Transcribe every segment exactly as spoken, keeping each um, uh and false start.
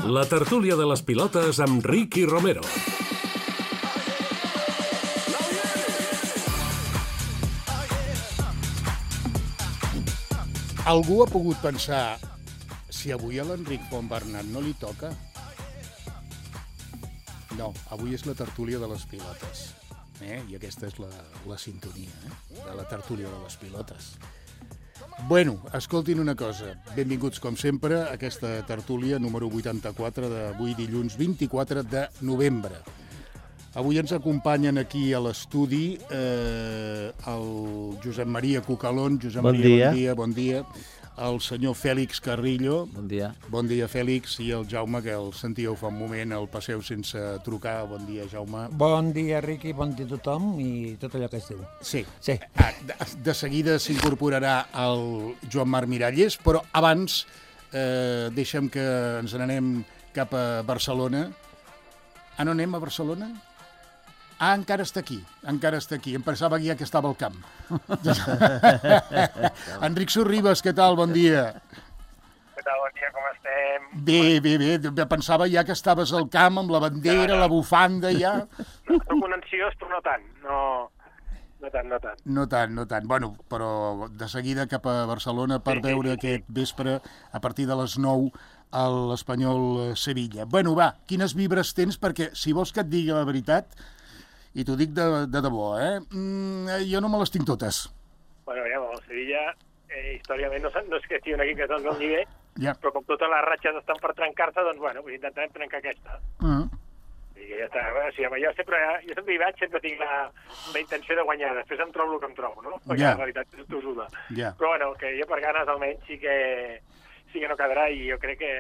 La tertúlia de les pilotes amb Ricky Romero. Algú ha pogut pensar si avui a l'Enric Fontbernat no li toca? No, avui és la tertúlia de les pilotes. Eh? I aquesta és la, la sintonia eh? de la tertúlia de les pilotes. Bueno, escoltin una cosa. Benvinguts, com sempre, a aquesta tertúlia número vuitanta-quatre d'avui dilluns vint-i-quatre de novembre. Avui ens acompanyen aquí a l'estudi eh, el Josep Maria Cucalón. Josep bon Maria, dia. bon dia, bon dia. El senyor Fèlix Carrillo. Bon dia. Bon dia, Fèlix. I el Jaume, que el sentíeu fa un moment, el passeu sense trucar. Bon dia, Jaume. Bon dia, Riqui, bon dia a tothom i tot allò que es diu. Sí. Sí. Ah, de, de seguida s'incorporarà el Joan Marc Miralles, però abans eh, deixem que ens n'anem cap a Barcelona. Ah, no anem a Barcelona? Ah, encara està aquí, encara està aquí. Em pensava que ja que estava al camp. Enric Sorribes, què tal? Bon dia. Què tal? Bon dia, com estem? Bé, bé, bé. Pensava ja que estaves al camp amb la bandera, la bufanda, ja. No, soc un ansiós, però no tant. No, no tant, no tant. No tant, no tant. Bueno, però de seguida cap a Barcelona per sí, veure sí, sí, aquest vespre, a partir de les nou, a l'Espanyol Sevilla. Bueno, va, quines vibres tens? Perquè si vols que et digui la veritat, i t'ho dic de, de debò, eh? Mm, jo no me les tinc totes. Bueno, ja, el Sevilla, eh, històriament, no, no és que estigui un equip que és del meu nivell, ja. Però com totes les ratxes estan per trencar-se, doncs, bueno, pues intentarem trencar aquesta. Uh-huh. I ja està. O sigui, jo sempre, jo sempre hi vaig, sempre tinc la, la intenció de guanyar. Després em trobo el que em trobo, no? Perquè ja. La realitat és tossuda. Ja. Però, bueno, que jo per ganes, almenys, sí que, sí que no quedarà i jo crec que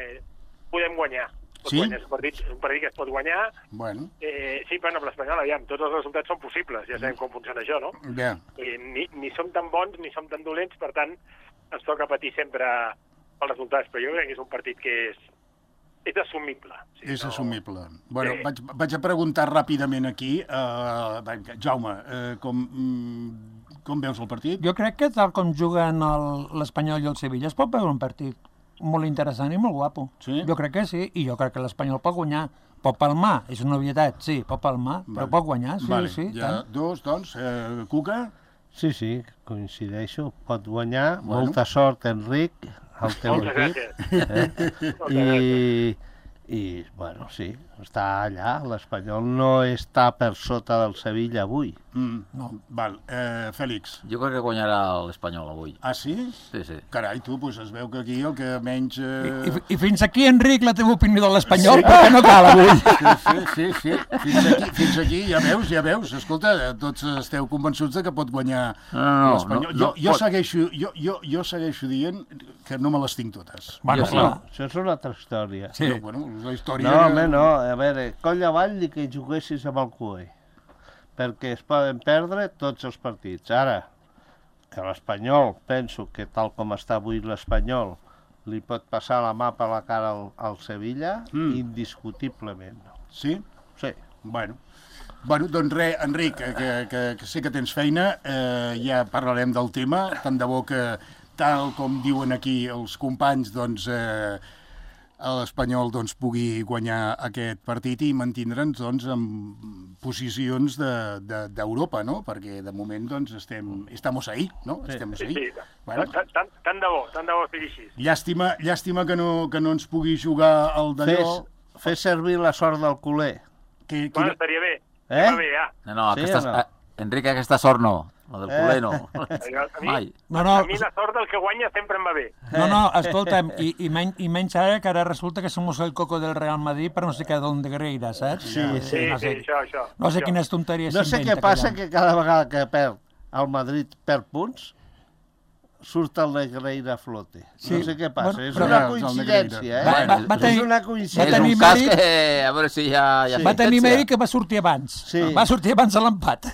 podem guanyar. Sí? Guanyar. És un partit, un partit que es pot guanyar. Bueno. Eh, sí, però amb l'Espanyol, aviam, tots els resultats són possibles, ja sabem com funciona això, no? Ja. I ni, ni som tan bons ni som tan dolents, per tant, ens toca patir sempre els resultats, però jo crec que és un partit que és, és assumible. Sí, és no... assumible. Bueno, sí. vaig, vaig a preguntar ràpidament aquí, uh, Jaume, uh, com, mm, com veus el partit? Jo crec que tal com juguen l'Espanyol i el Sevilla es pot veure un partit molt interessant i molt guapo. Sí? Jo crec que sí, i jo crec que l'Espanyol pot guanyar. Pot palmar, és una obvietat, sí, pot palmar, vale. Però pot guanyar, sí, vale. sí. Ja, tant. dos, doncs, eh, Cuca? Sí, sí, coincideixo, pot guanyar. Bueno. Molta sort, Enric, al teu Moltes equip. gràcies. Eh? I, I, bueno, sí, està allà. L'Espanyol no està per sota del Sevilla avui. Mm, no. Val. Eh, Fèlix? Jo crec que guanyarà l'Espanyol avui. Ah, sí? Sí, sí. Carai, tu, doncs es veu que aquí el que menys... Eh... I, i, I fins aquí, Enric, la teva opinió de l'Espanyol, sí. Perquè no cal avui. Sí, sí, sí. Fins aquí, fins aquí, ja veus, ja veus. Escolta, tots esteu convençuts de que pot guanyar no, no, l'Espanyol. No, jo, no, jo, pot... segueixo, jo, jo, jo segueixo dient que no me les tinc totes. Bueno, no, això és una altra història. Sí. Però, bueno, la història... No, home, no. A veure, coll avall ni que juguessis amb el cué, perquè es poden perdre tots els partits. Ara, que l'Espanyol, penso que tal com està avui l'Espanyol, li pot passar la mà per la cara al, al Sevilla, mm. indiscutiblement. Sí? Sí. Bueno. Bueno, doncs res, Enric, que, que, que, que sé que tens feina, eh, ja parlarem del tema, tant de bo que, tal com diuen aquí els companys, doncs... Eh, l'Espanyol doncs, pugui guanyar aquest partit i mantindre'ns doncs, en posicions d'Europa, de, de, no? Perquè de moment doncs, estem, estamos ahí, no? Sí, estamos sí, ahí. sí. Bueno. Tant, tant, tant de bo, tant de bo sigui així. Llàstima, llàstima que, no, que no ens pugui jugar el d'allò. Fes, fes servir la sort del culer. Que, que... Bueno, estaria bé. Eh? Va bé, ja. No, no, sí aquesta, no? Enric, aquesta sort no. La del Eh? culer no. A mi, Mai. No, no, a mi la sort del que guanya sempre em va bé. no, no, escolta'm, i, i, men, i menys ara que ara resulta que somos el coco del Real Madrid per no sé què d'on de Greira, saps? Sí, Sí, no sí, sé, això, això. no sé això. quines tonteries No sé què passa, que cada vegada que perd el Madrid perd punts, surt el Negreira a flote. Sí. No sé què passa, Bueno, és però- una el coincidència, eh? Va, va, va tenir, és una va coincidència. És tenir un cas mèrit- que... A veure si hi ha... hi ha Sí. va tenir sentència. mèrit que va sortir abans. Sí. Va sortir abans de l'empat.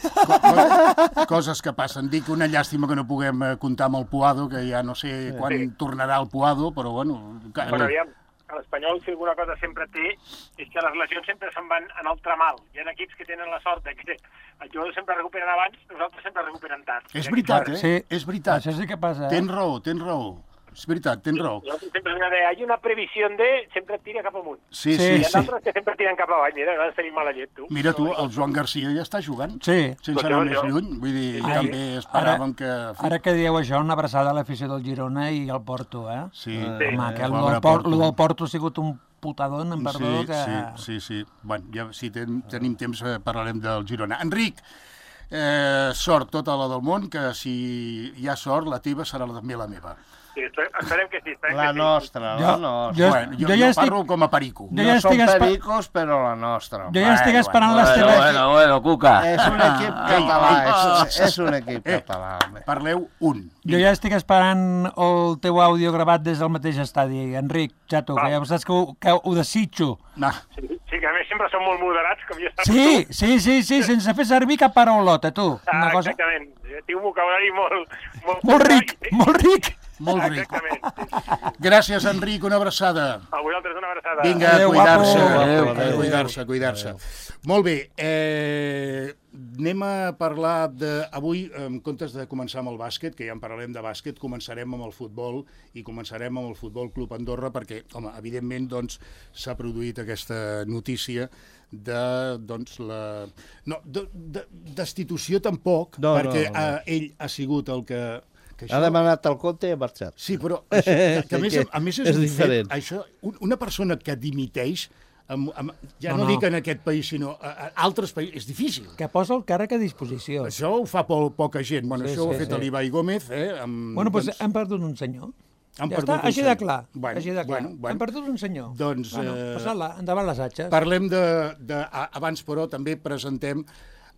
Coses que passen. Dic una llàstima que no puguem eh, comptar amb el Puado, que ja no sé quan Sí. tornarà el Puado, però bueno... Que... Bueno, aviam, a l'Espanyol, si alguna cosa sempre té, és que les lesions sempre se'n van en el tramal. Hi ha equips que tenen la sort de que els jugadors sempre recuperen abans, nosaltres sempre recuperen tard. És veritat, eh? Sí. És veritat. Això sí que passa. Eh? Tens raó, tens raó. és veritat, tens raó. Nosaltres sempre hem de hay una previsió de... sempre et tira cap amunt. Sí, Sí, sí, Hi ha sí. d'altres que sempre tiren cap avall. Mira, nosaltres tenim mala llet, tu. Mira tu, el Joan Garcia ja està jugant, Sí. sense anar més lluny. Vull dir, Ai, també esperàvem que... Ara que dieu això, una abraçada a l'afició del Girona i al Porto, eh? Sí, Home, que el pobre del, Por lo del Porto ha sigut un putadón, em perdó, Sí, que... sí, sí, sí. Bueno, ja, si ten, tenim temps eh, parlarem del Girona. Enric, eh, sort tota la del món, que si hi ha sort, la teva serà també la meva. Sí, esperem que sí. Esperem La que sí. nostra, la Jo- nostra. jo- Bueno, jo, jo jo, ja estic- parlo com a perico. Jo No ja som estic espa- pericos, però la nostra. Jo ja estic Bueno, esperant bueno, les Bueno, teves... bueno, bueno, Cuca. És un equip català, és, és un equip Eh, català. home. Parleu un. Jo ja estic esperant el teu àudio gravat des del mateix estadi. Enric, Chato, que ja saps que ho, que ho desitjo. No. Sí, sí, que a més sempre són molt moderats, com ja saps Sí, tu. sí, sí, sí, sense fer servir cap paraulota, tu. Ah, Una cosa... exactament. Tinc un vocabulari molt... Molt, Molt ric, molt ric. Molt ric. Exactament. Sí. Gràcies, Enric, una abraçada. A vosaltres una abraçada. Vinga, Adéu, cuidar-se. guapo. Adéu, A adéu. Cuidar-se, cuidar-se. Molt bé, eh, anem a parlar de... Avui, en comptes de començar amb el bàsquet, que ja en parlarem de bàsquet, començarem amb el futbol i començarem amb el Futbol Club Andorra perquè, home, evidentment, doncs, s'ha produït aquesta notícia de, doncs, la... No, de, de, destitució tampoc, No, no, perquè no. Eh, ell ha sigut el que... que Ha demanat el compte i ha marxat. Sí, però això, que, que a, més, a més és, És un diferent. Fet, això, un- una persona que dimiteix, amb, amb, ja No, no, no no. dic en aquest país, sinó a, a altres països, és difícil. Que posa el càrrec a disposició. Això ho fa po poca gent. Bueno, Sí, això ho sí, ha fet sí. l'Ibai Gómez. Eh, amb, Bueno, doncs doncs, hem perdut un senyor. Han Ja perdut està, un així de senyor. clar. Bueno, així de clar. bueno, bueno. Hem perdut un senyor. Doncs, Bueno, eh, passant-la, endavant les atxes. Parlem de, de... a- Abans, però, també presentem...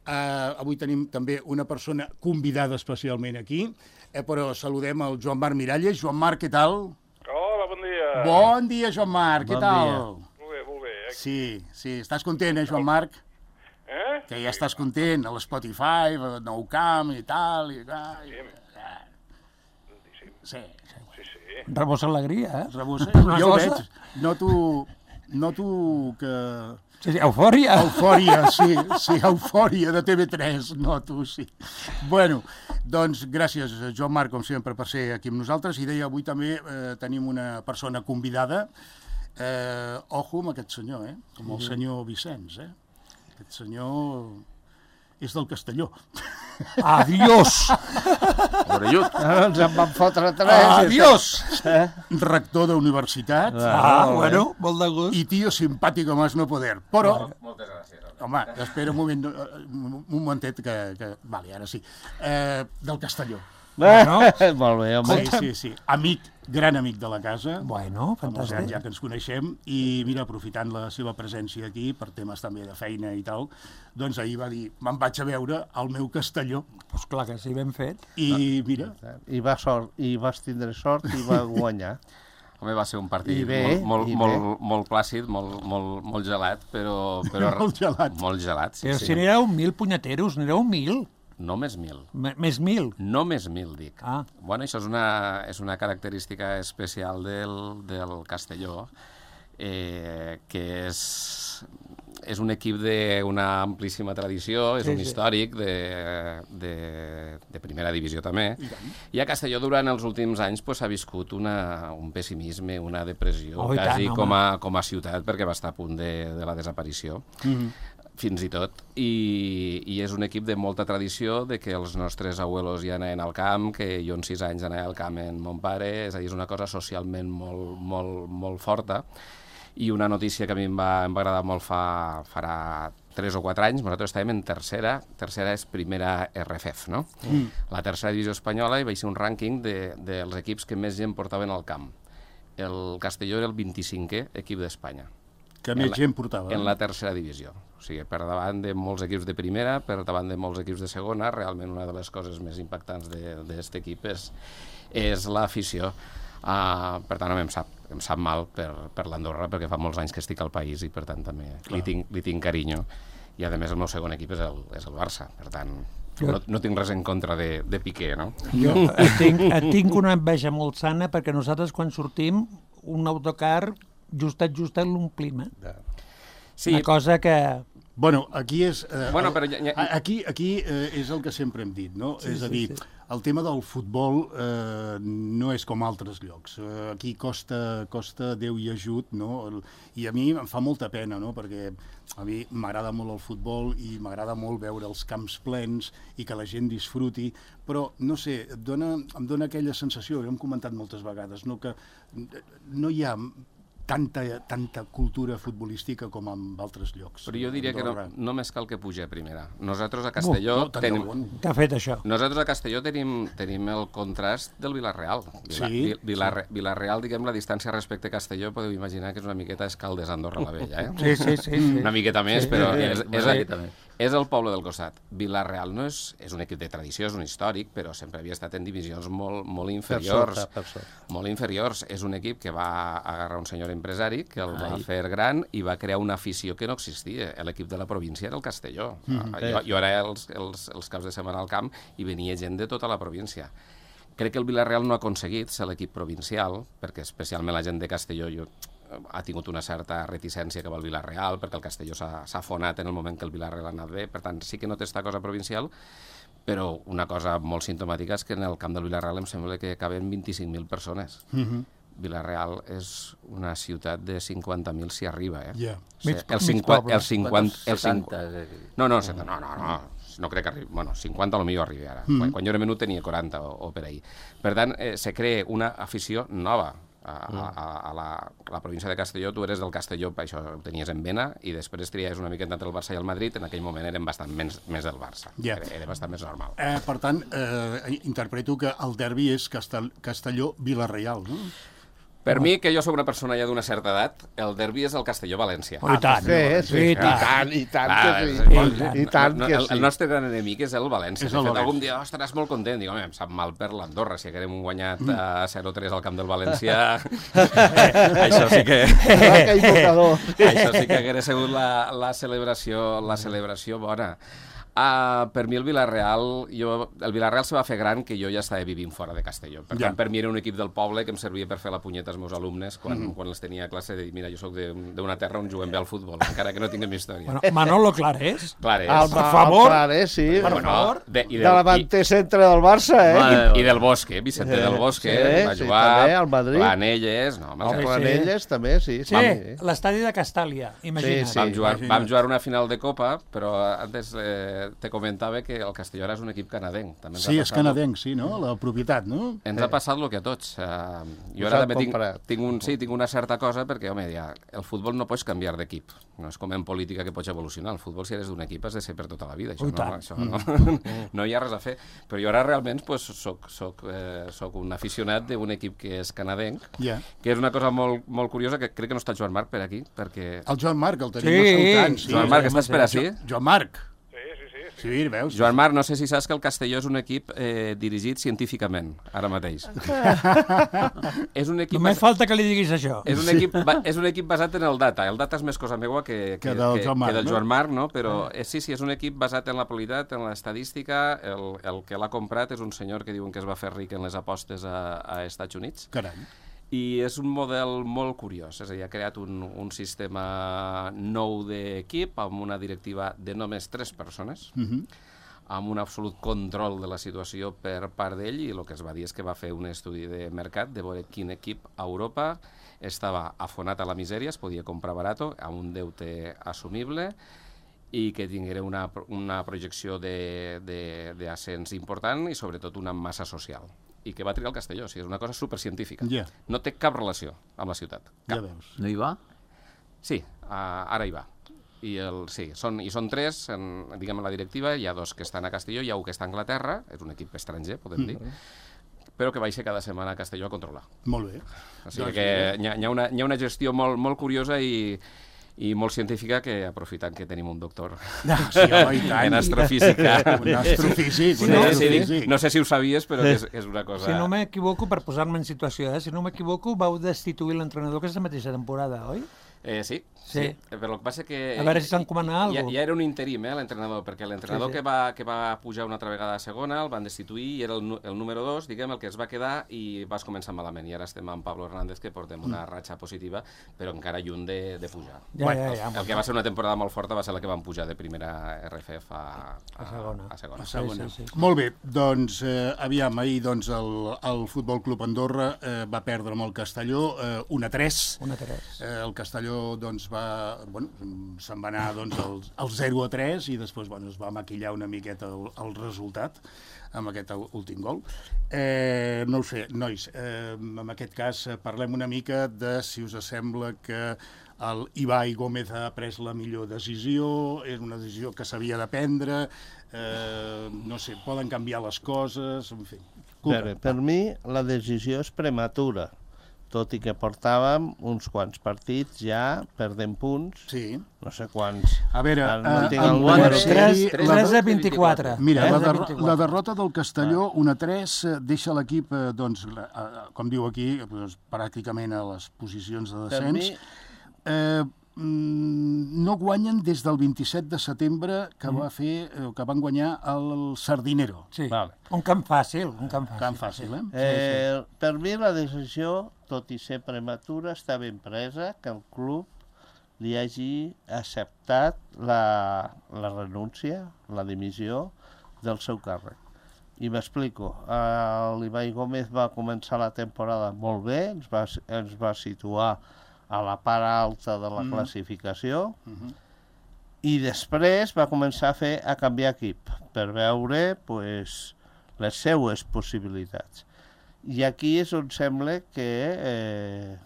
Eh, avui tenim també una persona convidada especialment aquí, eh, però saludem el Joan Marc Miralles. Joan Marc, què tal? Hola, bon dia. Bon dia, Joan Marc, què Bon tal? dia. Molt bé, molt bé. Eh? Sí, sí, estàs content, eh, Joan Marc? Eh? Que ja estàs content, a l'Spotify, a Nou Camp i tal. I, i, sí, sí. Sí, sí. Rebossa alegria, eh? Rebussa. Una Jo ho cosa. veig. Noto, noto que... Sí, sí, eufòria. Eufòria, sí, sí, eufòria de T V tres, noto, sí. Bueno, doncs gràcies, Joan Marc, com sempre, per ser aquí amb nosaltres. I deia, avui també eh, tenim una persona convidada. Eh, ojo amb aquest senyor, eh? Com el senyor Vicenç, eh? Aquest senyor és del Castelló. Adiós. Orellut. Ara ens en van fotre tres. Adiós! Eh? Rector d'universitat Ah, bueno, molt de gust. i tio simpàtic com és no poder. Però, Moltes gràcies. home, espera un moment, eh, un momentet que... que vale, ara sí. Eh, del Castelló. Bueno. Molt bé, home. Sí, sí, sí. Amic, gran amic de la casa. Bueno, Fa molts anys fantàstic. ja que ens coneixem i mira, aprofitant la seva presència aquí per temes també de feina i tal, doncs ahir va dir, me'n vaig a veure al meu Castelló Pues clar que sí, ben fet. i mira, I, va sort, I vas tindre sort i va guanyar. Home, va ser un partit I bé, molt, i molt, bé. molt, molt plàcid, molt, molt, molt gelat, però... però Molt gelat. Molt gelat, sí, Però sí. si n'éreu mil punyeteros, n'éreu mil. Només mil. M més mil. Només mil, dic. Ah. Bueno, això és una, és una característica especial del, del Castelló, eh, que és, és un equip d'una amplíssima tradició, és Sí, un sí. històric de, de, de primera divisió també, i a Castelló durant els últims anys pues, ha viscut una, un pessimisme, una depressió, Oh, i tant, quasi home. com, a, com a ciutat, perquè va estar a punt de, de la desaparició. Fins i tot, I, i és un equip de molta tradició, de que els nostres abuelos ja anaven al camp, que jo en sis anys anava al camp amb mon pare, és a dir, és una cosa socialment molt, molt, molt forta, i una notícia que a mi em va, em va agradar molt fa, farà tres o quatre anys, nosaltres estàvem en tercera, tercera és primera R F F, no? Mm. La tercera divisió espanyola, i vaig ser un rànquing de, dels equips que més gent portaven al camp. El Castelló era el vint-i-cinquè equip d'Espanya. que En més la- gent portava. En la tercera divisió. O sigui, per davant de molts equips de primera, per davant de molts equips de segona, realment una de les coses més impactants d'aquest equip és, és l'afició. Uh, per tant, em sap, em sap mal per, per l'Andorra, perquè fa molts anys que estic al país i, per tant, també li tinc, li tinc carinyo. I, a més, el meu segon equip és el, és el Barça. Per tant, no, no tinc res en contra de, de Piqué, no? Jo et tinc, et tinc una enveja molt sana perquè nosaltres quan sortim un autocar justet, justet l'omplim, eh? Sí, Una cosa que... Bueno, aquí és... Eh, Bueno, però ja- ja- a- Aquí, aquí eh, és el que sempre hem dit, no? Sí, és a sí, dir, sí. el tema del futbol eh, no és com altres llocs. Eh, aquí costa, costa Déu i ajut, no? I a mi em fa molta pena, no? Perquè a mi m'agrada molt el futbol i m'agrada molt veure els camps plens i que la gent disfruti, però, no sé, et dona, em dona aquella sensació, ho hem comentat moltes vegades, no? Que no hi ha tanta, tanta cultura futbolística com en altres llocs. Però jo diria que no, només cal que pugi a primera. Nosaltres a Castelló... No, no, tenim... bon. Què ha fet això? Nosaltres a Castelló tenim, tenim el contrast del Vilareal. Vila, Sí, Vilarre, sí. Vilareal, diguem, la distància respecte a Castelló, podeu imaginar que és una miqueta Escaldes, Andorra la Vella, eh? Sí, sí, sí. sí. Una miqueta més, Sí, però sí, és, sí. és, Una el, miqueta més. és el poble del costat. Vilareal no és, és un equip de tradició, és un històric, però sempre havia estat en divisions molt, molt inferiors. Per sota, per sota. Molt inferiors. És un equip que va agarrar un senyor empresari, que el va Ai. fer gran i va crear una afició que no existia. L'equip de la província era el Castelló. Mm, jo, jo ara els, els, els caps de setmana al camp i venia gent de tota la província. Crec que el Vilareal no ha aconseguit ser l'equip provincial, perquè especialment la gent de Castelló jo, ha tingut una certa reticència cap al Vilareal, perquè el Castelló s'ha afonat en el moment que el Vilareal ha anat bé, per tant sí que no té esta cosa provincial, però una cosa molt simptomàtica és que en el camp del Vilareal em sembla que caben vint-i-cinc mil persones. Mhm. Vilareal és una ciutat de cinquanta mil si arriba, eh? Ja. O sigui, Mig- el mig cinquanta... poble. El cinquanta... El setanta, cinquanta... No, no, no, no, no, no crec que arribi... Bueno, cinquanta a lo millor arribi ara. Quan, quan jo era menut tenia quaranta o, o per ahí. Per tant, eh, se crea una afició nova a, a, a, a, la, a la província de Castelló. Tu eres del Castelló, això ho tenies en vena, i després triaves una miqueta entre el Barça i el Madrid. En aquell moment eren bastant més, més del Barça. Ja. Era, era bastant més normal. Eh, per tant, eh, interpreto que el derbi és Castell Castelló-Vilareal, no? Per mi, que jo sóc una persona ja d'una certa edat, el derbi és el Castelló-València. Oh, i tant. Sí, sí, I i tant. tant, i tant Clar, que és- sí. és- I tant no, que el, sí. el nostre gran enemic és el València. És De el fet, València. algun dia oh, estaràs molt content. Dic, home, em sap mal per l'Andorra, si haguem guanyat a zero tres al camp del València. Això sí que... Ah, que invocador. Això sí que hagués sigut la, la, celebració, la celebració bona. Uh, per mi el Vilareal, jo, el Vilareal se va fer gran que jo ja estava vivint fora de Castelló. Per Ja. tant, per mi era un equip del poble que em servia per fer la punyeta als meus alumnes quan, mm -hmm. quan els tenia a classe de dir, mira, jo sóc d'una terra on juguem bé al futbol, encara que no tinguem història. Bueno, Manolo Clarés. Clar és. El, Per favor. El Clare, sí. Per favor. de, i De del, davanter centre del Barça, eh? Vale. i, i del Bosque, Vicente Sí, del Bosque, sí, va sí, jugar també, al Madrid. Planelles, no, home, Home, el- sí. Planelles, també, sí. Sí, sí. l'estadi de Castàlia, imagina't. Sí, vam, jugar, imagina't. vam jugar una final de Copa, però antes eh, te comentava que el Castelló ara és un equip canadenc. També ens Sí, ha és passat- canadenc, sí, no? La propietat, no? Ens ha passat el que a tots. Uh, jo Us ara han també tinc, comprat. tinc, un, sí, tinc una certa cosa, perquè, home, ja, el futbol no pots canviar d'equip. No és com en política que pots evolucionar. El futbol, si eres d'un equip, has de ser per tota la vida. Això, Ui, no, tant. això no, no hi ha res a fer. Però jo ara realment pues, soc, soc, eh, soc un aficionat d'un equip que és canadenc, Ja. que és una cosa molt, molt curiosa, que crec que no està Joan Marc per aquí, perquè... El Joan Marc, el tenim Sí. escoltant. Sí, Joan Marc, sí, estàs per sí. ací? Jo- Joan Marc. Sí, sí, sí. sí. Sí, veus? Joan Marc, no sé si saps que el Castelló és un equip eh, dirigit científicament, ara mateix. és un equip... Només falta que li diguis això. És un, equip, ba- és un equip basat en el data. El data és més cosa meua que, Que del Joan Marc, que del no? Joan Marc, no? Però eh, sí, sí, és un equip basat en la qualitat, en l'estadística. El, el que l'ha comprat és un senyor que diuen que es va fer ric en les apostes a, a Estats Units. Carai. I és un model molt curiós, és a dir, ha creat un, un sistema nou d'equip amb una directiva de només tres persones, Mhm. amb un absolut control de la situació per part d'ell, i el que es va dir és que va fer un estudi de mercat de veure quin equip a Europa estava afonat a la misèria, es podia comprar barato, amb un deute assumible, i que tinguera una, una projecció d'ascens important i sobretot una massa social. I que va triar el Castelló, o sigui, és una cosa supercientífica. Ja. No té cap relació amb la ciutat. Ja Cap. veus. No hi va? Sí, uh, ara hi va. I, el, sí, són, i són tres, en, diguem, en la directiva, hi ha dos que estan a Castelló, hi ha un que està a Anglaterra, és un equip estranger, podem dir, però que baixa cada setmana a Castelló a controlar. Molt bé. O sigui Doncs que mira. hi ha, hi ha, una, hi ha una gestió molt, molt curiosa i, i molt científica, que aprofitant que tenim un doctor Sí, home, i tant. en astrofísica. Un astrofísic, un Sí, sí, astrofísic. dic, no sé si ho sabies, però que és, és una cosa... Si no m'equivoco, per posar-me en situació, eh? si no m'equivoco, vau destituir l'entrenador aquesta mateixa temporada, oi? Eh, sí, Sí. sí, però el que passa que... A veure si s'encomana Ja, alguna cosa. ja era un interim, eh, l'entrenador, perquè l'entrenador Sí, sí. que, va, que va pujar una altra vegada a segona el van destituir i era el, nu- el número dos, diguem, el que es va quedar i vas començar malament. I ara estem amb Pablo Hernández, que portem una ratxa positiva, però encara lluny de, de pujar. Ja, Bueno, ja, el, ja, el que va ser una temporada molt forta va ser la que van pujar de primera R F F a, a, A segona. A segona. A segona. Sí, sí, sí. Molt bé, doncs, eh, aviam, ahir doncs, el, el Futbol Club Andorra eh, va perdre amb el Castelló eh, un a tres. Una tres. Eh, el Castelló doncs, va, bueno, se'n va anar doncs, al, al zero a tres i després bueno, es va maquillar una miqueta el, el resultat amb aquest últim gol. Eh, no ho sé, nois, eh, en aquest cas eh, parlem una mica de si us sembla que el Ibai Gómez ha pres la millor decisió, és una decisió que s'havia de prendre, eh, no sé, poden canviar les coses, en fi. Per, per mi, la decisió és prematura, tot i que portàvem uns quants partits ja perdent punts, Sí. no sé quants. A veure, Ara no eh, tinc en el quant número. a tres, sèrie, tres, la- tres a vint-i-quatre. Mira, tres la, a der vint-i-quatre. la derrota del Castelló, un a tres, eh, deixa l'equip, eh, doncs, la- eh, com diu aquí, doncs, pràcticament a les posicions de Per descens. mi, Eh, mm, no guanyen des del vint-i-set de setembre que, va fer, eh, que van guanyar el Sardinero. Sí. Vale. Un camp fàcil, un camp fàcil. Tan fàcil, eh? eh, per mi la decisió, tot i ser prematura, està ben presa, que el club li hagi acceptat la, la renúncia, la dimissió del seu càrrec. I m'explico. L'Ibai Gómez va començar la temporada molt bé, ens va, ens va situar a la part alta de la Mm. classificació, Mhm. i després va començar a fer a canviar equip per veure pues, les seues possibilitats. I aquí és on sembla que eh,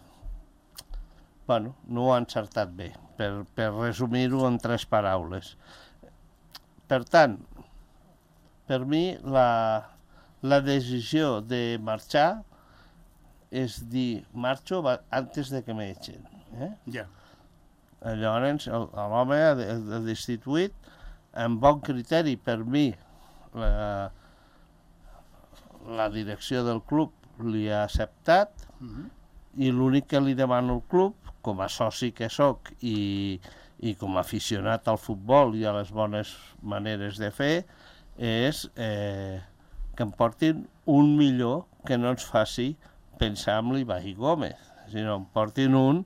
bueno, no ho ha encertat bé, per, per resumir-ho en tres paraules. Per tant, per mi la, la decisió de marxar és dir, marxo va- antes de que m'echen. Eh? Ja. Llavors, el- l'home ha, de- ha destituït amb bon criteri per mi. La, la direcció del club li ha acceptat Mhm. i l'únic que li demano al club, com a soci que sóc i, i com a aficionat al futbol i a les bones maneres de fer, és eh, que em portin un millor que no ens faci pensar en l'Ibai Gómez, sinó em portin un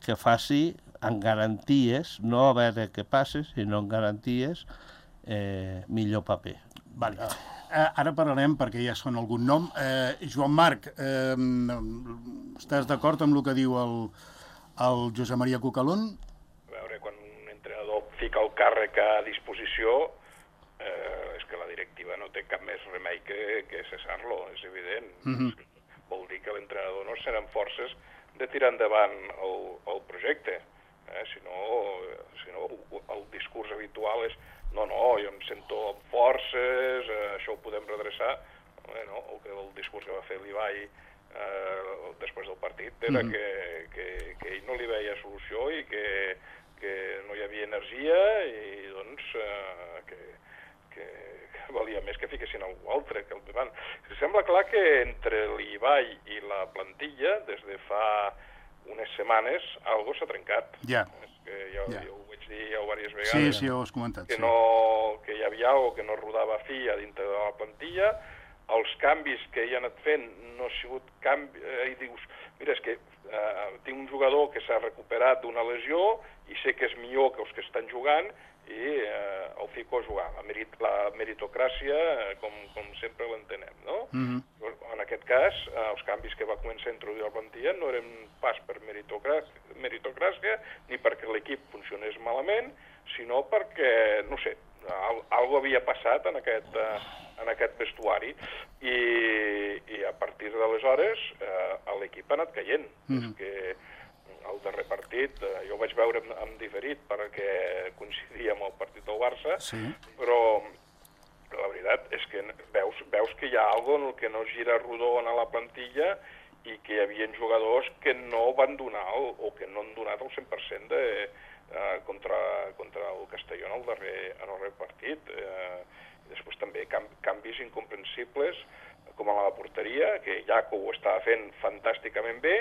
que faci en garanties, no a veure què passa, sinó en garanties, eh, millor paper. Vale. Eh, ara parlarem, perquè ja sona algun nom. Eh, Joan Marc, eh, estàs d'acord amb el que diu el, el Josep Maria Cucalón? A veure, quan un entrenador fica el càrrec a disposició, eh, és que la directiva no té cap més remei que, que cessar-lo, és evident. Mhm. Vol dir que l'entrenador no seran forces de tirar endavant el, el projecte. Eh? Si no, si no, el discurs habitual és no, no, jo em sento amb forces, eh, això ho podem redreçar. Eh, no, el, que, el discurs que va fer l'Ibai eh, després del partit era Mhm. que, que, que ell no li veia solució i que, que no hi havia energia i doncs eh, que, que, que valia més que fiquessin algú altre que el davant. Sembla clar que entre l'Ibai i la plantilla, des de fa unes setmanes, algo s'ha trencat. Ja. És que ja, Ja. ja ho vaig dir ja diverses Sí, vegades. sí, ho has comentat. que, Sí. no, que hi havia algo que no rodava fi a dintre de la plantilla. Els canvis que hi ha anat fent no ha sigut canvi... Eh, I dius, mira, és que eh, tinc un jugador que s'ha recuperat d'una lesió i sé que és millor que els que estan jugant i eh, el fico a jugar. La, merit, la meritocràcia, eh, com, com sempre l'entenem, no? Mhm. En aquest cas, eh, els canvis que va començar a introduir la plantilla no eren pas per meritocràcia, meritocràcia ni perquè l'equip funcionés malament, sinó perquè, no sé, al, algo havia passat en aquest, eh, en aquest vestuari i, i a partir d'aleshores eh, l'equip ha anat caient. Mhm. És que el darrer partit, eh, jo ho vaig veure en, en diferit perquè coincidia amb el partit del Barça, Sí. però la veritat és que veus, veus que hi ha alguna cosa en el que no gira rodó a la plantilla i que hi havia jugadors que no van donar el, o que no han donat el cent per cent de, eh, contra, contra el Castelló en el darrer, en el darrer partit. Eh, i després també cam, canvis incomprensibles com a la porteria, que Jaco ho estava fent fantàsticament bé,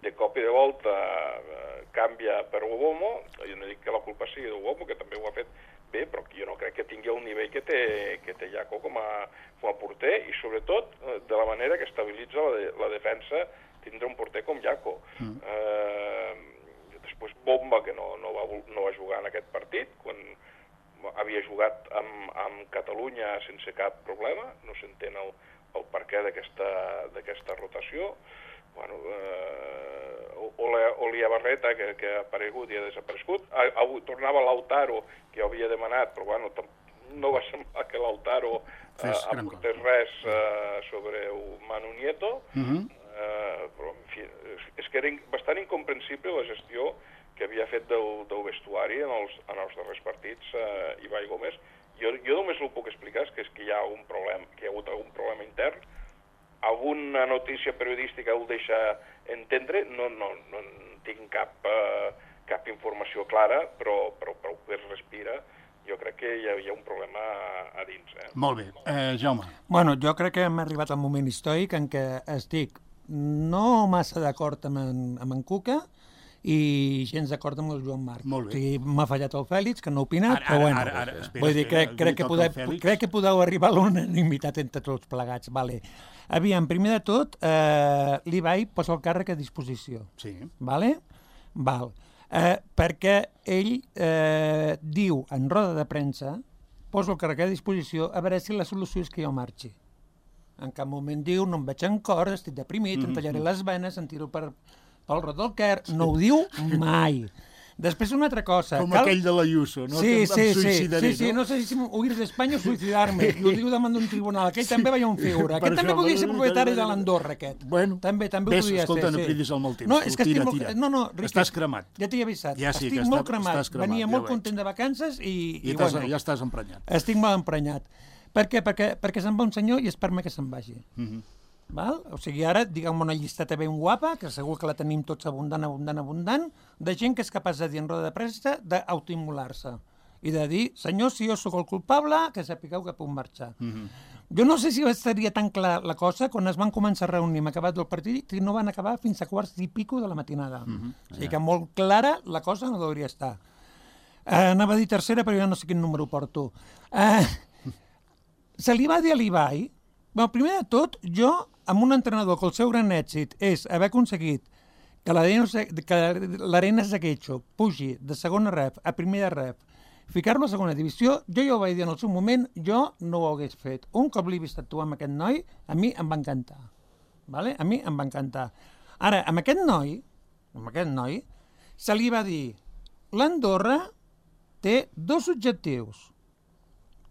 de cop i de volta eh, canvia per Uomo. Jo no dic que la culpa sigui d'Uomo, que també ho ha fet bé, però jo no crec que tingui el nivell que té, que té Jaco com a, com a porter, i sobretot de la manera que estabilitza la, de, la defensa tindre un porter com Jaco. Mm. Eh, després Bomba, que no, no, va, no va jugar en aquest partit, quan havia jugat amb, amb Catalunya sense cap problema, no s'entén el, el perquè d'aquesta rotació. Bueno, eh, Olia Barreta, que, que ha aparegut i ha desaparegut. Avui tornava Lautaro, que havia demanat, però bueno, no va semblar que Lautaro eh, aportés res eh, sobre Manu Nieto. Uh-huh. eh, però, en fi, és que era bastant incomprensible la gestió que havia fet del, del vestuari en els, en els darrers partits eh, Ibai Gómez. Jo, jo només el puc explicar, és que, és que hi ha un problema, que hi ha hagut algun problema intern. Alguna notícia periodística ho deixa entendre, no, no, no tinc cap, uh, cap informació clara, però, però, però ho que es respira, jo crec que hi ha, hi ha un problema a dins. Eh? Molt bé. Eh, Jaume. Bueno, jo crec que hem arribat al moment històric en què estic no massa d'acord amb, en, amb en Cuca i gens d'acord amb el Joan Marc. Molt bé. O sigui, m'ha fallat el Fèlix, que no ha opinat, ara, però bueno. Ara, ara, ara, espera, vull dir, crec, espera, crec, que podeu, crec que podeu arribar a l'unanimitat entre tots plegats. Vale. Aviam, primer de tot, eh, l'Ibai posa el càrrec a disposició. Sí. Vale? Val. Eh, perquè ell eh, diu en roda de premsa, posa el càrrec a disposició a veure si la solució és que jo marxi. En cap moment diu, no em veig en cor, estic deprimit, mm-hmm. em tallaré les venes, em tiro per... pel Rot del Quer, no ho diu mai. Després una altra cosa. Com cal... aquell de l'Ayuso, no? Sí, que sí, em suïcidaré, sí, sí, no? no sé si huir d'Espanya o suïcidar-me. I ho diu davant d'un tribunal. Aquell sí, també veia un figura. Aquest també podia ser propietari de l'Andorra, aquest. Bueno, també, també ves, ho podia escolta, ser. no sí. cridis al mal temps. No, és que tira, estic tira. molt... No, no, Riqui, estàs cremat. Ja t'hi he avisat. Ja sí, estic que molt està, cremat. estàs cremat. Venia ja molt content de vacances i... I, i bueno, ja estàs emprenyat. Estic molt emprenyat. Per què? Perquè, perquè se'n va un senyor i es permet que se'n vagi. Mm-hmm. Val? O sigui, ara, diguem una llisteta ben guapa, que segur que la tenim tots abundant, abundant, abundant, de gent que és capaç de dir en roda de premsa d'autoimmolar-se i de dir, senyor, si jo sóc el culpable, que sapigueu que puc marxar. Mm-hmm. Jo no sé si estaria tan clar la cosa quan es van començar a reunir, hem acabat del partit i no van acabar fins a quarts i pico de la matinada. Mm-hmm. O sigui que molt clara la cosa no hauria estar. Eh, anava a dir tercera, però jo no sé quin número porto. Eh, se li va dir a l'Ibai, bueno, primer de tot, jo, amb un entrenador que el seu gran èxit és haver aconseguit que l'Arena Zaguecho pugi de segona ref a primera ref, ficar-lo a segona divisió, jo ja ho vaig dir en el seu moment, jo no ho hagués fet. Un cop l'he vist actuar amb aquest noi, a mi em va encantar. Vale? A mi em va encantar. Ara, amb aquest noi, amb aquest noi, se li va dir, l'Andorra té dos objectius.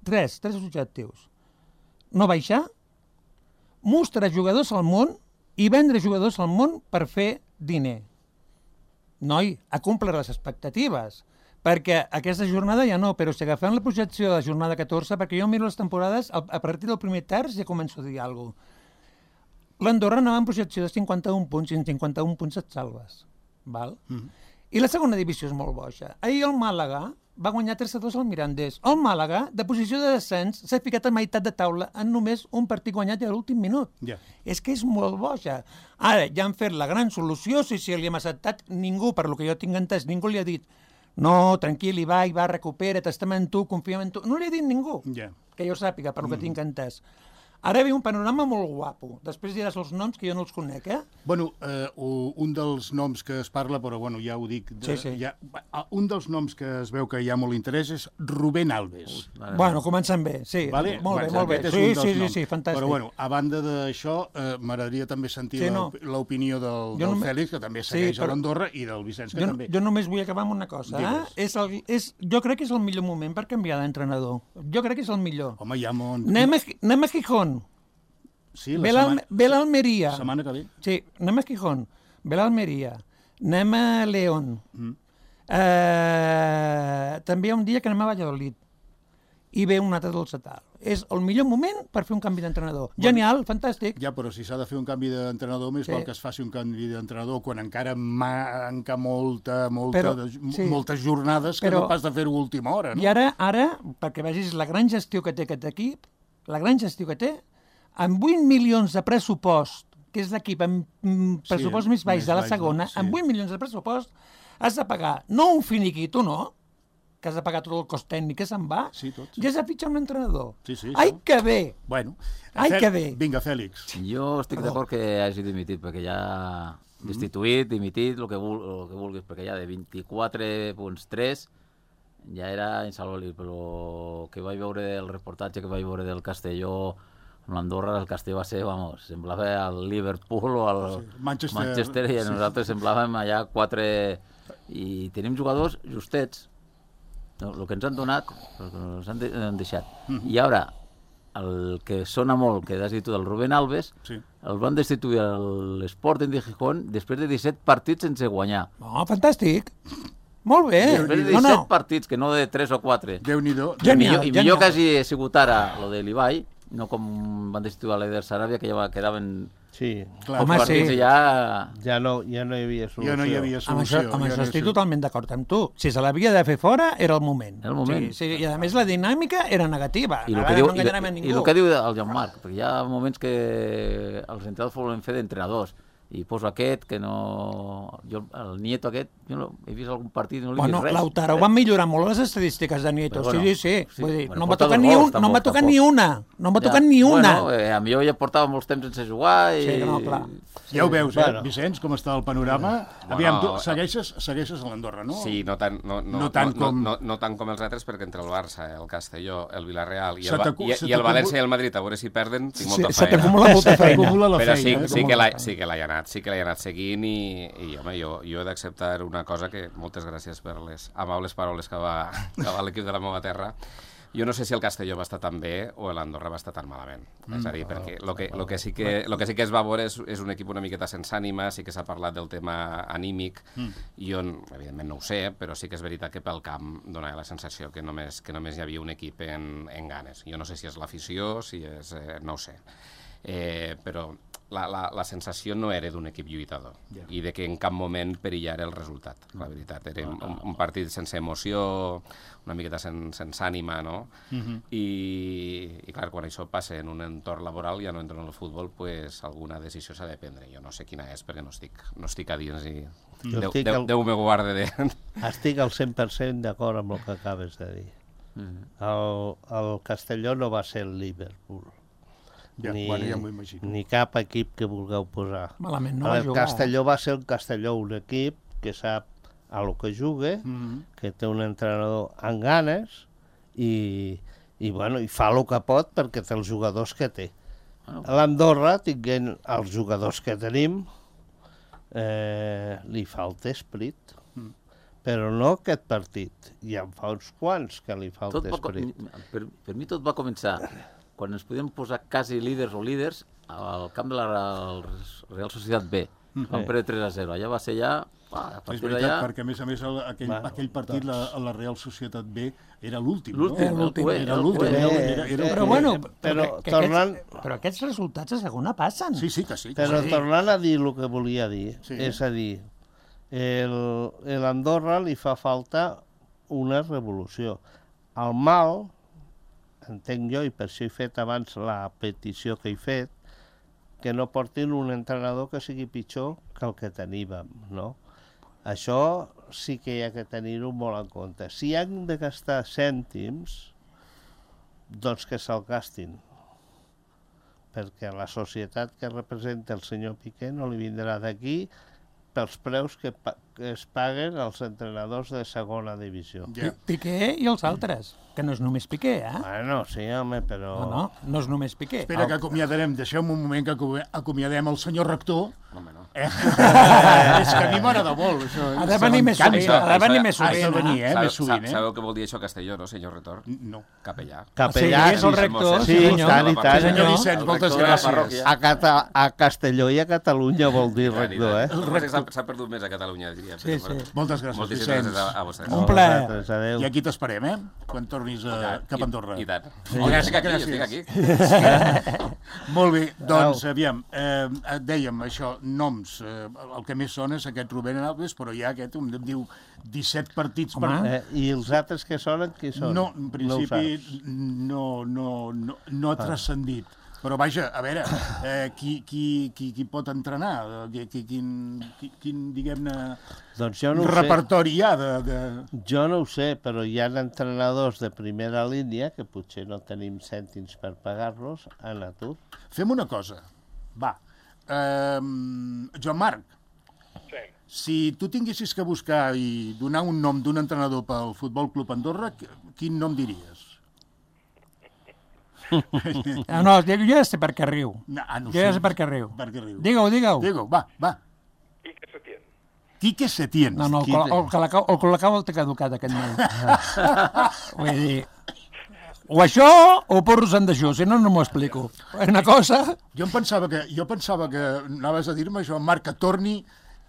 Tres, tres objectius. No baixar, mostrar jugadors al món i vendre jugadors al món per fer diner. Noi, ha complert les expectatives, perquè aquesta jornada ja no, però si agafem la projecció de la jornada catorze, perquè jo miro les temporades, a partir del primer terç ja començo a dir alguna cosa. L'Andorra anava en projecció de cinquanta-un punts i en cinquanta-un punts et salves. Val? Mm. I la segona divisió és molt boja. Ahir el Màlaga va guanyar tres a dos al Mirandés. El Màlaga, de posició de descens, s'ha ficat a meitat de taula en només un partit guanyat a l'últim minut. Yeah. És que és molt boja. Ara, ja han fet la gran solució, si, si li hem acceptat ningú, per lo que jo tinc entès, ningú li ha dit no, tranquil, Ibai, va, recupera't, estem en tu, confiem en tu. No li ha dit ningú, yeah. que jo sàpiga, per lo que mm. tinc entès. Ara ve un panorama molt guapo. Després diràs els noms, que jo no els conec, eh? Bueno, eh, un dels noms que es parla, però bueno, ja ho dic... De, sí, sí. Ja, un dels noms que es veu que hi ha molt interès és Rubén Alves. Uh, bueno, comencem bé, sí. Vale? Molt bé, bueno, molt bé. Sí, sí, sí, sí, fantàstic. Però bueno, a banda d'això, eh, m'agradaria també sentir sí, no. l'opinió del, del només... Fèlix, que també segueix sí, però... a l'Andorra, i del Vicenç, que jo, també. Jo només vull acabar amb una cosa. Eh? És el, és, jo crec que és el millor moment per canviar d'entrenador. Jo crec que és el millor. Home, hi ha molt... Anem a, anem a Gijón. Sí, ve l'Almeria. La setmana que ve. Sí, anem a Gijón, ve l'Almeria, anem a León. Mm. Eh, també hi ha un dia que anem a Valladolid i ve un altre del Setal. És el millor moment per fer un canvi d'entrenador. Bueno, genial, fantàstic. Ja, però si s'ha de fer un canvi d'entrenador, més sí. val que es faci un canvi d'entrenador quan encara manca molta, molta, però, sí. moltes jornades que però, no pas de fer-ho a última hora. No? I ara, ara, perquè vegis la gran gestió que té aquest equip, la gran gestió que té, amb vuit milions de pressupost, que és l'equip amb mm, pressupost Sí, més baix més de la baix, segona, sí. amb vuit milions de pressupost, has de pagar no un finiquito, no? Que has de pagar tot el cost tècnic que se'n va, Sí, tot, sí. i has de fitxar un entrenador. Sí, sí, Ai, això. que bé! Bueno, Ai, Fe- que bé. Vinga, Fèlix. Jo estic d'acord que hagi dimitit, perquè ja destituït, dimitit, el que, vul, el que vulguis, perquè ja de vint-i-quatre coma tres ja era insalvable, però que vaig veure el reportatge que vaig veure del Castelló amb l'Andorra, el Castelló va ser, vamos, semblava el Liverpool o el Sí, Manchester, Manchester i sí. nosaltres semblàvem allà quatre... I tenim jugadors justets, no, el que ens han donat, el que ens han, de, han deixat. I ara, el que sona molt, que has dit tu, del Rubén Alves, Sí. el van destituir a l'Sporting de Gijón després de disset partits sense guanyar. No, fantàstic. Molt bé. Després de No, disset no. partits, que no de tres o quatre. Déu-n'hi-do. I Genial, millor, I genial. millor que hagi sigut ara lo de l'Ibai, no com van destituir a l'Eder Saràbia, que ja quedaven Sí, Clar, Home, els sí. partits i ja... ja no, ja no hi havia solució. ja no hi havia Amb això, solució. amb ja això no hi estic havia- totalment d'acord amb tu. Si se l'havia de fer fora, era el moment. Era el moment. Sí, sí, i a més la dinàmica era negativa. I el Ara que, diu, no i, enganyarem a i ningú. el que diu el Jean-Marc, perquè hi ha moments que els entrenadors volen fer d'entrenadors, i poso aquest, que no... Jo, el Nieto aquest, jo no, he vist algun partit i no li he Bueno, vist res. Lautaro van millorar molt les estadístiques de Nieto. Però bueno, sí, sí, sí. sí, Vull dir, bueno, no m'ha porta tocat, dos ni, gols, un, no tampoc, m'ha tocat tampoc. ni una. No m'ha Ja. tocat ni una. Bueno, eh, a millor ja portava molts temps sense jugar i... Sí, no, clar. Ja ho veus, eh, Bueno. Vicenç, com està el panorama. Bueno, Aviam, tu eh, segueixes, segueixes a l'Andorra, no? Sí, no tant, no, no, No tant no, com- no, no tant com els altres, perquè entre el Barça, el Castelló, el Villarreal i Se el, Ba- t'acu- i, se i el t'acu- València i el Madrid, a veure si perden, tinc Sí, molta se feina. t'acumula molta feina. T'acumula la Però sí, feina, eh? sí, que l'ha, sí que l'he anat, sí que l'he anat seguint i, i home, jo, jo he d'acceptar una cosa que, moltes gràcies per les amables paraules que va, que va l'equip de la meva terra. Jo no sé si el Castelló va estar tan bé o l'Andorra va estar tan malament. Mm, és a dir, perquè el que, lo que, sí que, lo que sí que es va veure és, és un equip una miqueta sense ànima, sí que s'ha parlat del tema anímic, mm. jo, evidentment, no ho sé, però sí que és veritat que pel camp donava la sensació que només, que només hi havia un equip en, en ganes. Jo no sé si és l'afició, si és... Eh, no ho sé. Eh, però la, la, la sensació no era d'un equip lluitador yeah. i de que en cap moment perillara el resultat, la veritat. Era un, un partit sense emoció, una miqueta sen, sense ànima, no? Uh -huh. I, I, clar, quan això passa en un entorn laboral, ja no entra en el futbol, pues alguna decisió s'ha de prendre. Jo no sé quina és, perquè no estic, no estic a dins i... Jo Déu, estic Déu, al- Déu me guarde de... Estic al cent per cent d'acord amb el que acabes de dir. El, el Castelló no va ser el Liverpool. Ja, ni, bueno, ja m'ho imagino. ni cap equip que vulgueu posar. Malament no va el jugar. Castelló va ser el Castelló, un equip que sap a lo que juga, Mm -hmm. que té un entrenador amb ganes i, i, bueno, i fa el que pot perquè té els jugadors que té. Bueno. A l'Andorra, tinguent els jugadors que tenim, eh, li falta esprit. Mm. Però no aquest partit. I en fa uns quants que li falta Tot va, co- esprit. per, per mi tot va començar quan ens podíem posar quasi líders o líders al camp de la Real Societat B. Vam perdre tres a zero. Allà va ser ja... Ah, a És partir veritat, d'allà... perquè a més a més el, aquell, Bueno, aquell partit, la, la Real Societat B, era l'últim, no? L'últim, Era l'últim. el Era el l'últim, cué. era, Eh, era, era, eh, Però bueno, Eh, però, però que, que tornant- aquests, però aquests resultats a segona passen. Sí, sí, que sí. Que Però sí. tornant a dir el que volia dir, Sí. és a dir, el, el Andorra li fa falta una revolució. El mal, entenc jo, i per això he fet abans la petició que he fet, que no portin un entrenador que sigui pitjor que el que teníem, no? Això sí que hi ha que tenir-ho molt en compte. Si han de gastar cèntims, doncs que se'l gastin, perquè la societat que representa el senyor Piqué no li vindrà d'aquí pels preus que, pa que es paguen els entrenadors de segona divisió. Ja. Piqué i els altres, que no és només Piqué, eh? Bueno, sí, home, però... No, no, no és només Piqué. Espera, que acomiadarem, deixeu-me un moment que acu- acomiadem el senyor rector. Home, no. Eh? És que a mi m'agrada molt, això. Ha de venir més M'encanta. sovint, ha de venir més Ha de sovint, venir, eh? Sabeu, Més sovint, eh? sabeu què vol dir això a Castelló, no, senyor Retor? No. Capellà. Capellà, Sí, és el rector, sí, sí, senyor. tant i tant. Sí, senyor. Senyor Vicenç, moltes rector de la gràcies. parròquia. A, Cata a Castelló i a Catalunya vol dir rector, eh? S'ha s'ha perdut més a Catalunya, diria. Sí, sí. Moltes gràcies, Moltíssimes Vicenç. gràcies a, a vostès. Un plaer. Vosaltres, adéu. I aquí t'esperem, eh? Quan tornis a, cap a Andorra. I, i tant. Sí. Jo estic aquí, jo estic aquí. Molt bé, doncs, aviam, eh, dèiem això, noms, eh, el que més sona és aquest Rubén Alves, però ja aquest em diu disset partits per... Home. Eh, I els altres que sonen, qui són? No, en ho principi saps. no, no, no, no ha transcendit. Però vaja, a veure, eh, qui, qui, qui, qui pot entrenar? Qui, qui, quin, qui, quin diguem-ne, Doncs jo no ho sé. repertori hi ha de... de... Jo no ho sé, però hi ha entrenadors de primera línia que potser no tenim cèntims per pagar-los en atur. Fem una cosa, va. Eh, Joan Marc, Sí. si tu tinguessis que buscar i donar un nom d'un entrenador pel Futbol Club Andorra, quin nom diries? Ah, no, jo ja sé per què riu. No, ah, no Jo ja sé. sé per què riu. Per què riu? Digue-ho, digue-ho. Digue-ho, va, va. Quique Setién. Quique Setién. No, no, el, col- el, Colacau, el Colacau el té caducat, aquest noi. Vull dir... O això o porros en dejú, si no, no m'ho explico. Una cosa... Jo em pensava que, jo pensava que anaves a dir-me, Joan Marc, que torni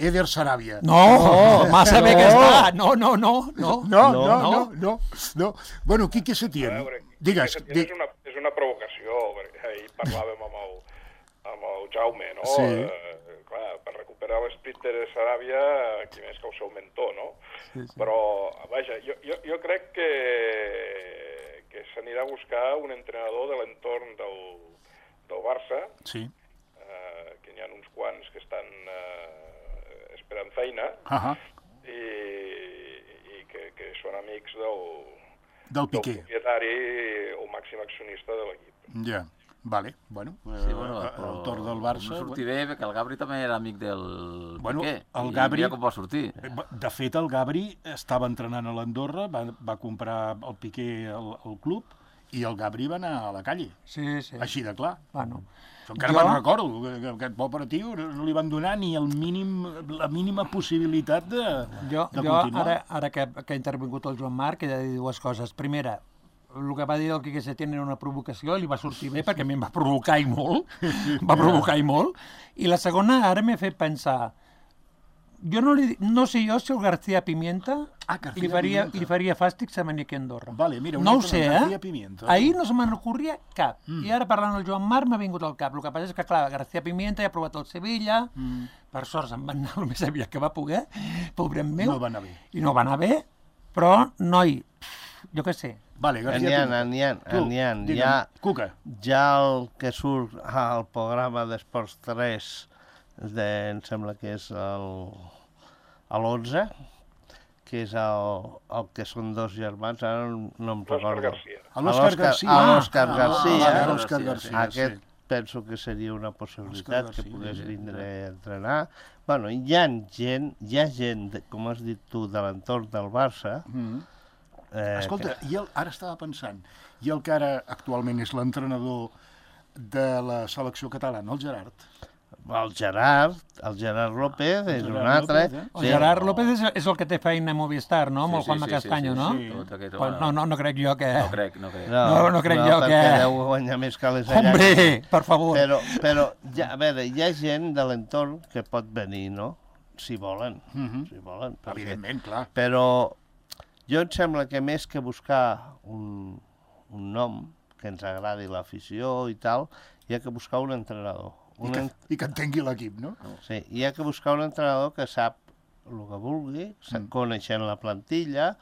Eder Saràbia. No, massa bé que està. No, no, no, no. No, no, no, no, no, no. Bueno, Quique A Setién, veure, digues. Quique Di... Setién és una, és una provocació, perquè ahir parlàvem amb el, amb el Jaume, no? Sí. Eh, clar, per recuperar l'esprit de Saràbia, qui més que el seu mentor, no? Sí, sí. Però, vaja, jo, jo, jo crec que, que s'anirà a buscar un entrenador de l'entorn del, del Barça, Sí. eh, que n'hi ha uns quants que estan eh, esperant feina, Ahà. i, i que, que són amics del, Del del Piqué. propietari o màxim accionista de l'equip. Ja, vale, bueno, Sí, bueno, eh, però el torn del Barça... no sortir bé, perquè el Gabri també era amic del Bueno, Piqué. el I Gabri- mira com va sortir. De fet, el Gabri estava entrenant a l'Andorra, va, va comprar el Piqué al, al club i el Gabri va anar a la calle, Sí, sí. així de clar. Bueno, Jo encara Jo- me'n recordo, que, que aquest pobre tio no li van donar ni el mínim, la mínima possibilitat de, jo, de jo continuar. ara, ara que, que ha intervingut el Joan Marc, he de dir dues coses. Primera, el que va dir el Quique Setién era una provocació, li va sortir bé perquè a mi em va provocar i molt, va provocar i molt. I la segona, ara m'he fet pensar, jo no, li, no sé jo si el García Pimienta Ah, García li, faria, Pimienta. li faria fàstic se venir aquí a Andorra. Vale, mira, un no ho altre sé, nom, eh? García Pimienta. Ahir no se me'n ocorria cap. Mm. I ara parlant del Joan Marc m'ha vingut al cap. El que passa és que, clar, García Pimienta ja ha provat el Sevilla, mm. per sort se'n va anar el més aviat que va poder, pobrem meu. No va anar bé. I no va anar bé, però, noi, jo què sé. Vale, García N'hi ha, Pimienta. n'hi ha, Tu, n'hi ha. digue'm, Ja, Cuca. ja el que surt al programa d'Esports tres, de, em sembla que és el, a l'onze, que és el, el que són dos germans, ara no, no em L'Òscar recordo. García. A l'Òscar García. A l'Òscar Ah, García. vale, a l'Òscar García, Aquest sí. penso que seria una possibilitat, Òscar que García, pogués sí. vindre a entrenar. Bueno, hi ha gent, hi ha gent, de, com has dit tu, de l'entorn del Barça. Mm. Eh, Escolta, i el, ara estava pensant, i el que ara actualment és l'entrenador de la selecció catalana, el Gerard. El Gerard, el Gerard López, és Gerard un altre. López, eh? El Gerard López és, és el que té feina a Movistar, no? Amb el Sí, Juanma sí, sí, Castanyo, sí, no? sí. Tot aquest, Pues no, no, no crec jo que... No crec, no crec. No, no crec jo perquè que- deu guanyar més que les Hombre, per favor. Però, però ja, a veure, hi ha gent de l'entorn que pot venir, no? Si volen, Mhm. si volen. perquè- Evidentment, clar. Però jo em sembla que més que buscar un, un nom que ens agradi l'afició i tal, hi ha que buscar un entrenador. I Un que, en... i que entengui l'equip, no? Sí, hi ha que buscar un entrenador que sap el que vulgui, mm. coneixent la plantilla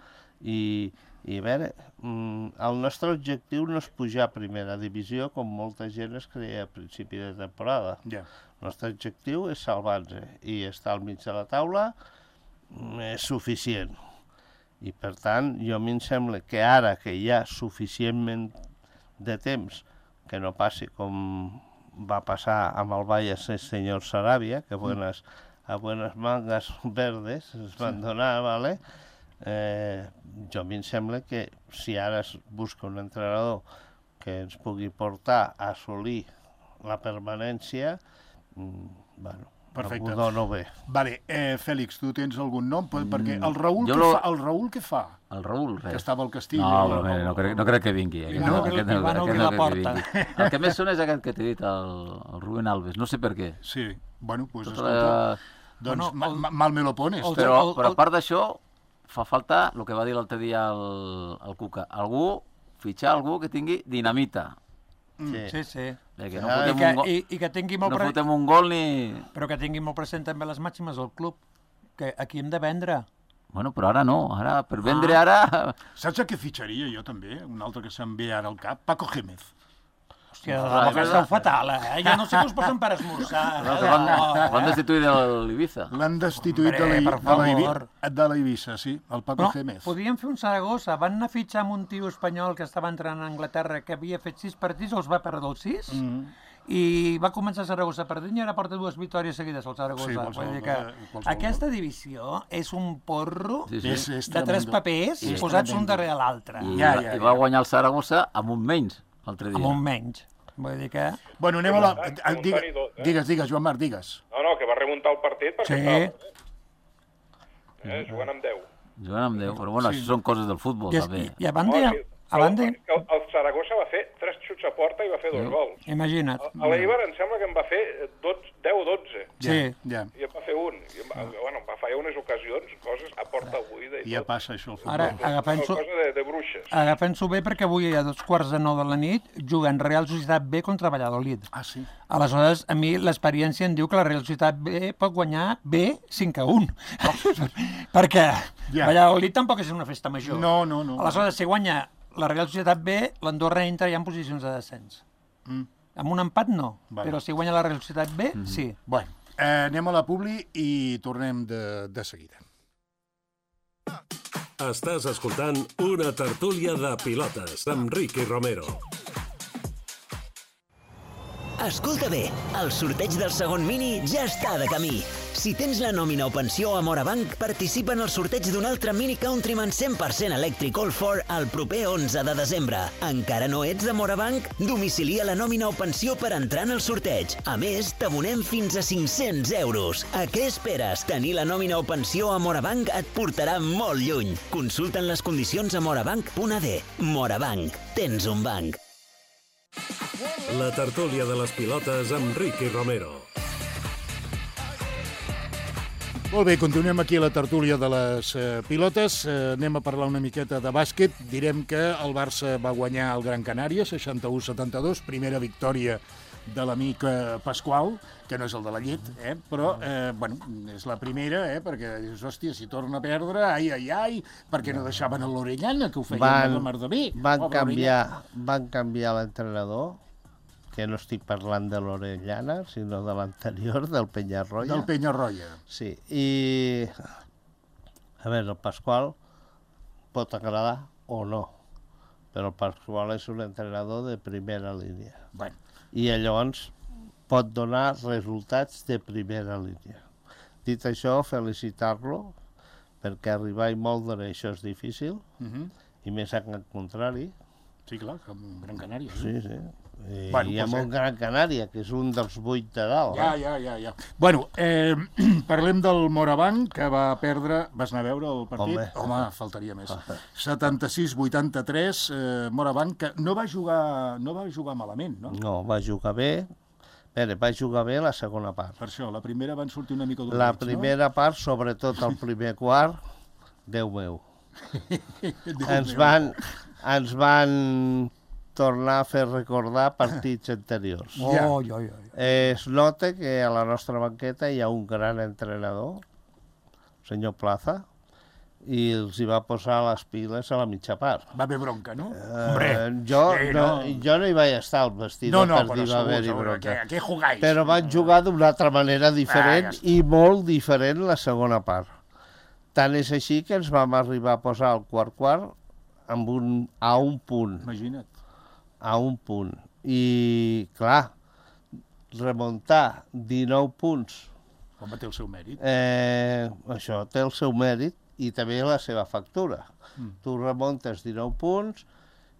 i, i a veure, mm, el nostre objectiu no és pujar a primera divisió com molta gent es creia a principi de temporada. Ja. El nostre objectiu és salvar-nos i estar al mig de la taula mm, és suficient. I per tant, jo a mi em sembla que ara que hi ha suficientment de temps que no passi com va passar amb el Valles el senyor Saràbia, que buenas, a buenas mangas verdes es van donar, ¿vale? Eh, jo a mi em sembla que si ara es busca un entrenador que ens pugui portar a assolir la permanència, mm, bueno, Perfecte. ho dono bé. Vale, eh, Fèlix, tu tens algun nom? Per, perquè el Raül, jo què lo- fa? El Raül què fa? El Raül, Que res. estava al Castilla. No, i- però mira, no, crec, no crec que vingui. Aquest, No? aquest, Li van obrir la crec que porta. vingui. El que més sona és aquest que t'he dit, el, el Rubén Alves. No sé per què. Sí, bueno, doncs pues, Tota escolta, la... doncs Bueno, ma, el- ma, mal me lo pones. el- Però, el- però el- a part d'això, fa falta el que va dir l'altre dia el, el Cuca. Algú, fitxar algú que tingui dinamita. Sí. Sí, sí. Perquè no Ah, I fotem, que, un, gol, i, i que tingui molt no pre... fotem un gol ni... però que tingui molt present també les màximes del club, que aquí hem de vendre. Bueno, però ara no. Ara, per vendre ara... Saps a què fitxaria jo també? Un altre que se'm ve ara al cap? Paco Gémez. Hòstia, de debò que esteu fatal, eh? Ja no sé què us posen per esmorzar. No, que van, van destituir de l'Ibiza. L'han destituït de Hombre, la, per de, la Ibi- favor. de la Eivissa, sí, el Paco No, Gémez. podien fer un Saragossa. Van anar a fitxar amb un tio espanyol que estava entrant a Anglaterra, que havia fet sis partits, els va perdre els sis, i va començar a Saragossa perdent i ara porta dues victòries seguides al Saragossa. Sí, qualsevol Vull dir que cosa- qualsevol aquesta divisió és un porro Sí, sí. És, és de tres tremendo. papers És posats un tremendo. darrere l'altre, I, Ja, ja, ja, ja, I ja. va guanyar el Saragossa amb un menys l'altre dia. amb un menys. Vull dir que... Bueno, anem a la... Remuntant, ah, digue- remuntant i tot, eh? Digues, digues, Joan Marc, digues. No, no, que va remuntar el partit perquè Sí. estava perdent. Eh, jugant amb deu. Jugant amb Déu, però bueno, això són coses del futbol, I, també. i, i a banda, No, sí, a banda, El, el Saragossa va fer tres xuts a porta i va fer dos gols. imagina't. A l'Eibar em sembla que en va fer dotze, deu o dotze. Sí. Ja, I en va fer un. I en va, bueno, va fallar unes ocasions, coses a porta buida i ja tot. passa això al futbol. Ara, Una agafant-s'ho cosa de, de bruixes. agafant bé perquè avui a dos quarts de nou de la nit juguen Real Societat B contra Valladolid. Ah, sí? Aleshores, a mi l'experiència em diu que la Real Societat B pot guanyar B cinc a un. perquè Ja. Valladolid tampoc és una festa major. No, no, no. Aleshores, si guanya la Real Societat B, l'Andorra entra ja en posicions de descens. Mm. Amb un empat no, Vale. però si guanya la Real Societat B, Mhm. sí. Bueno, eh, anem a la publi i tornem de, de seguida. Estàs escoltant una tertúlia de pilotes amb Ricky Romero. Escolta bé, el sorteig del segon mini ja està de camí. Si tens la nòmina o pensió a Morabanc, participa en el sorteig d'un altre Mini Countryman cent per cent elèctric All four el proper onze de desembre. Encara no ets de Morabanc? Domicilia la nòmina o pensió per entrar en el sorteig. A més, t'abonem fins a cinc-cents euros. A què esperes? Tenir la nòmina o pensió a Morabanc et portarà molt lluny. Consulta'n les condicions a morabanc punt a d. Morabanc. Tens un banc. La tertúlia de les pilotes amb Ricky Romero. Molt bé, continuem aquí a la tertúlia de les eh, pilotes. Eh, anem a parlar una miqueta de bàsquet. Direm que el Barça va guanyar el Gran Canària, seixanta-u a setanta-dos, primera victòria de l'amic eh, Pasqual, que no és el de la llet, eh? però eh, bueno, és la primera, eh? perquè dius, hòstia, si torna a perdre, ai, ai, ai, perquè no deixaven a l'Orellana, que ho feien Van- de la mar de bé. Van Pobre canviar, van canviar l'entrenador, que no estic parlant de l'Orellana, sinó de l'anterior, del Penyarroia. Del Penyarroia. Sí, i... A veure, el Pasqual pot agradar o no, però el Pasqual és un entrenador de primera línia. Bueno, I llavors pot donar resultats de primera línia. Dit això, felicitar-lo, perquè arribar i moldre això és difícil, uh -huh. i més al contrari. sí, clar, com Gran Canària. no? Sí, sí. I, Bueno, i amb pues, un Gran Canària, que és un dels vuit de dalt. Ja, eh? ja, ja, ja. Bueno, eh, parlem del Morabanc, que va perdre... Vas anar a veure el partit? Home. Home faltaria més. setanta-sis a vuitanta-tres, eh, Morabanc, que no va jugar, no va jugar malament, no? No, va jugar bé. Bé, va jugar bé la segona part. Per això, la primera van sortir una mica La dolents, primera part, sobretot el primer quart, Déu meu. no? Ens van, ens van tornar a fer recordar partits anteriors. Ja. Oh, oi, oi, oi. Es nota que a la nostra banqueta hi ha un gran entrenador, el senyor Plaza, i els hi va posar les piles a la mitja part. Va haver bronca, no? Eh, jo, sí, no, no. jo no hi vaig estar al vestidor No, no, per però dir va segur, haver-hi segur. bronca. ¿Qué, ¿Qué jugáis? Però van jugar d'una altra manera diferent Ah, ja està. i molt diferent la segona part. Tant és així que ens vam arribar a posar el quart-quart amb un, a un punt. Imagina't. A un punt. I, clar, remuntar dinou punts, Home, té el seu mèrit. eh, això té el seu mèrit i també la seva factura. Mm. Tu remuntes dinou punts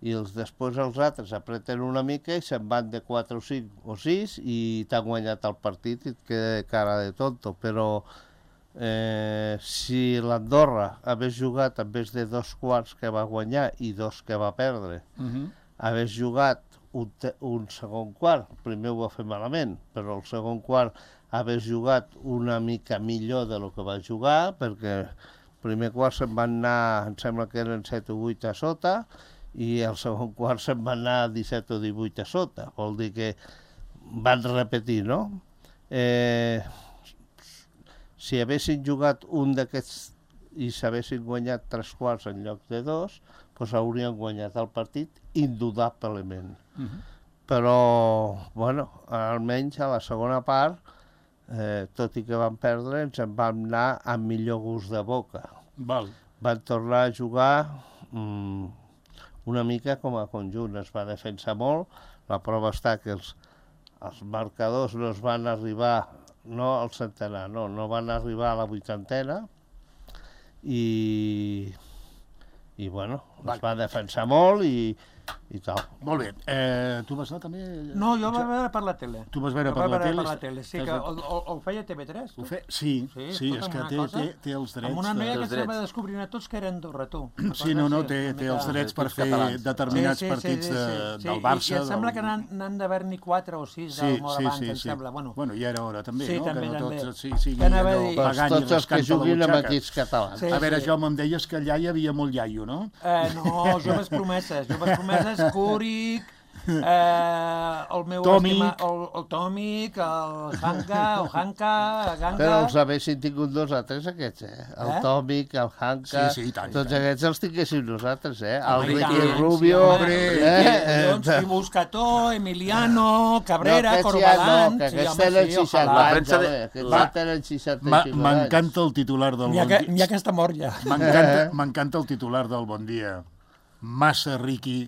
i els, després els altres apreten una mica i se'n van de quatre o cinc o sis i t'han guanyat el partit i et queda cara de tonto. Però eh, si l'Andorra hagués jugat en vez de dos quarts que va guanyar i dos que va perdre, Uh -huh. hagués jugat un, te, un segon quart, el primer ho va fer malament, però el segon quart hagués jugat una mica millor de lo que va jugar, perquè el primer quart se'n van anar, em sembla que eren set o vuit a sota, i el segon quart se'n van anar disset o divuit a sota. Vol dir que van repetir, no? Eh, si haguessin jugat un d'aquests i s'haguessin guanyat tres quarts en lloc de dos, doncs haurien guanyat el partit indudablement. Uh -huh. però, bueno, almenys a la segona part, eh, tot i que vam perdre, ens en vam anar amb millor gust de boca. Val. Van tornar a jugar mm, una mica com a conjunt, es va defensar molt, la prova està que els, els marcadors no es van arribar, no al centenar, no, no van arribar a la vuitantena, i, i bueno, es va defensar molt i, i tal. Molt bé. Eh, tu vas anar també? No, jo vaig veure per la tele. Tu vas veure Jo per vaig la tele? per la tele, sí, que el, el, el feia T V tres. Tu? Ho fe... Sí, sí, sí, és que té, té, té els drets. Amb una noia de... que se va descobrint a tots que era Andorra, tu. Sí, no, no, té, té els drets per fer determinats sí, sí, partits sí, sí, de, sí. del Barça. I, i em sembla del... que n'han d'haver-n'hi quatre o sis sí, del Morabanc, sí, sí, em sí. sembla. Bueno, bueno, ja era hora també, sí, no? També, que no també. tots sí, siguin allò pagant tots els que juguin amb equips catalans. Sí, a veure, sí. Jaume, em deies que allà hi havia molt iaio, no? Eh, no, joves promeses, joves promeses, Cúric, Eh, el meu estima, el, el Tòmic, el Hanka, el Hanka, Ganga... Però els haguessin tingut nosaltres, aquests, eh? El eh? Tòmic, el Hanka... Sí, sí, tant, tots tant. aquests els tinguéssim nosaltres, eh? El Ricky Ricky Rubio... Sí, eh? eh? Buscató, Emiliano, Cabrera, no, Corbalan... No, que aquests tenen seixanta anys, aquests tenen seixanta anys. M'encanta el titular del Bon Dia. N'hi ha que està mort ja. M'encanta el titular del Bon Dia. Massa Ricky...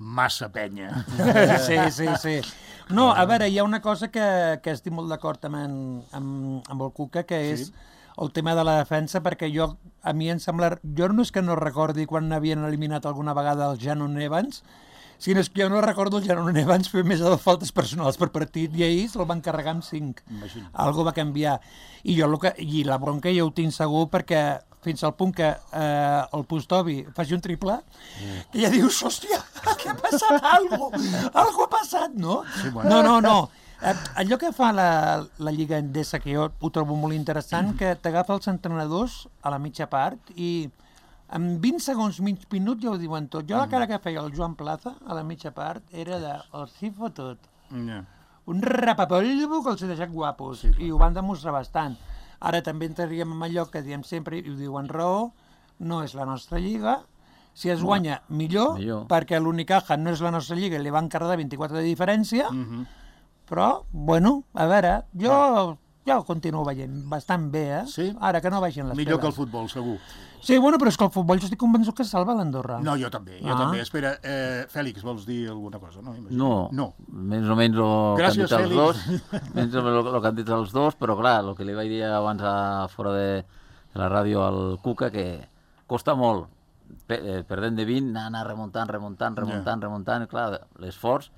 massa penya. Sí, sí, sí. No, a veure, hi ha una cosa que, que estic molt d'acord amb, en, amb, amb el Cuca, que és sí. el tema de la defensa, perquè jo, a mi em sembla... Jo no és que no recordi quan havien eliminat alguna vegada el Janon Evans, sinó és que jo no recordo el Janon Evans fer més de faltes personals per partit, i ahir se'l van carregar amb cinc. Imagina. Algo va canviar. I, jo, que, I la bronca ja ho tinc segur, perquè fins al punt que eh, el Pustovi faci un triple, mm. que ja dius, hòstia, què ha passat? Algo, algo ha passat, no? Sí, bueno. No, no, no. Eh, allò que fa la, la Lliga Endesa, que jo ho trobo molt interessant, mm. que t'agafa els entrenadors a la mitja part i en vint segons, mig minut ja ho diuen tot. Jo la cara que feia el Joan Plaza a la mitja part era de el sí fotut. Yeah. Un rapapolvo que els ha deixat guapos, sí, i ho van demostrar bastant. Ara també entraríem en allò que diem sempre, i ho diuen raó, no és la nostra lliga, si es guanya millor, millor. perquè l'Unicaja no és la nostra lliga i li van carregar vint-i-quatre de diferència, mm-hmm. però, bueno, a veure, jo, jo ho continuo veient bastant bé, eh? Sí? Ara que no vagin les Millor peles. que el futbol, segur. Sí, bueno, però és que el futbol jo estic convençut que salva l'Andorra. No, jo també, jo Ah. també. Espera, eh, Fèlix, vols dir alguna cosa? No, imagino. No, no. més o menys el que han Gràcies, dit els dos, Fèlix. menys el, el que han dit els dos, però clar, el que li vaig dir abans a, fora de, de la ràdio al Cuca, que costa molt, pe, eh, perdent de vint, anar, anar remuntant, remuntant, remuntant, yeah. remuntant, i clar, l'esforç,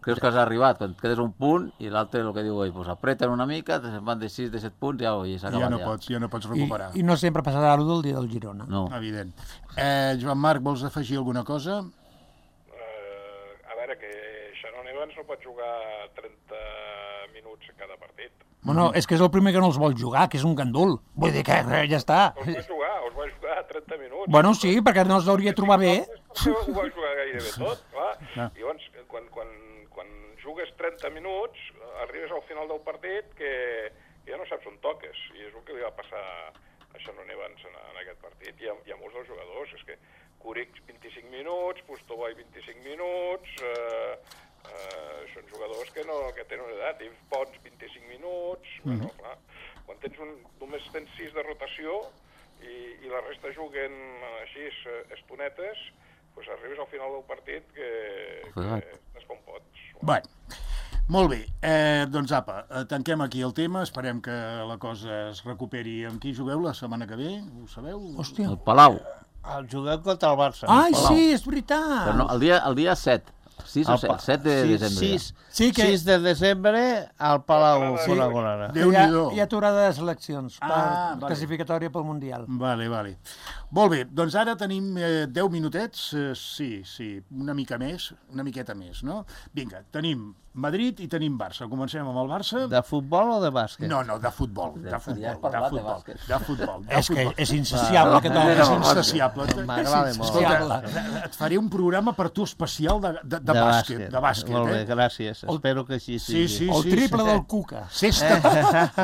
creus que has arribat, quan et quedes un punt, i l'altre, el que diu ell, pues apreten una mica, se'n van de sis, de set punts, ja, i s'ha acabat Ja no ja. pots, ja no pots recuperar. I, I no sempre passarà el del dia del Girona. No. Evident. Eh, Joan Marc, vols afegir alguna cosa? Uh, a veure, que Shannon Evans no pot jugar trenta minuts en cada partit. Bueno, és que és el primer que no els vol jugar, que és un gandul. Vull dir que eh, ja està. Els va jugar, els va jugar trenta minuts. Bueno, sí, perquè no els hauria trobar bé. Ho va jugar gairebé tot, clar. Ah. Llavors, quan, quan, quan jugues trenta minuts, arribes al final del partit que, que ja no saps on toques. I és el que li va passar a Shannon Evans en, en aquest partit. Hi ha, hi ha molts dels jugadors. És que Cúric vint-i-cinc minuts, Pustovoy vint-i-cinc minuts... Eh, eh, són jugadors que, no, que tenen una edat. Yves Pons vint-i-cinc minuts... Mm -hmm. Bueno, clar, quan tens un, només tens sis de rotació i, i la resta juguen així estonetes, pues arribes al final del partit que, que estàs com pots. Bueno, molt bé. Eh, doncs apa, tanquem aquí el tema, esperem que la cosa es recuperi. Amb qui jugueu la setmana que ve? Ho sabeu? Hòstia. El Palau. El juguem contra el Barça. Ai, Palau. sí, és veritat. Però no, el dia, el dia set. sis o set, set de sis, desembre. sis, sí, que... sis de desembre al Palau Sí. Col·laborarà. Déu-n'hi-do. Hi ha aturada de seleccions per Ah, vale. classificatòria pel Mundial. Vale, vale. Molt bé, doncs ara tenim eh, deu minutets, eh, sí, sí, una mica més, una miqueta més, no? Vinga, tenim Madrid i tenim Barça. Comencem amb el Barça. De futbol o de bàsquet? No, no, de futbol, de Ja futbol, has de parlat de futbol, bàsquet. de futbol. de És que futbol. és insaciable, aquest home. És insaciable. M'agrada molt. Escolta, et faré un programa per tu especial de, de, de, bàsquet, de bàsquet, Molt bé, eh? gràcies. Espero que així sigui. Sí, sí, El sí, triple sí. del Cuca. Cesta,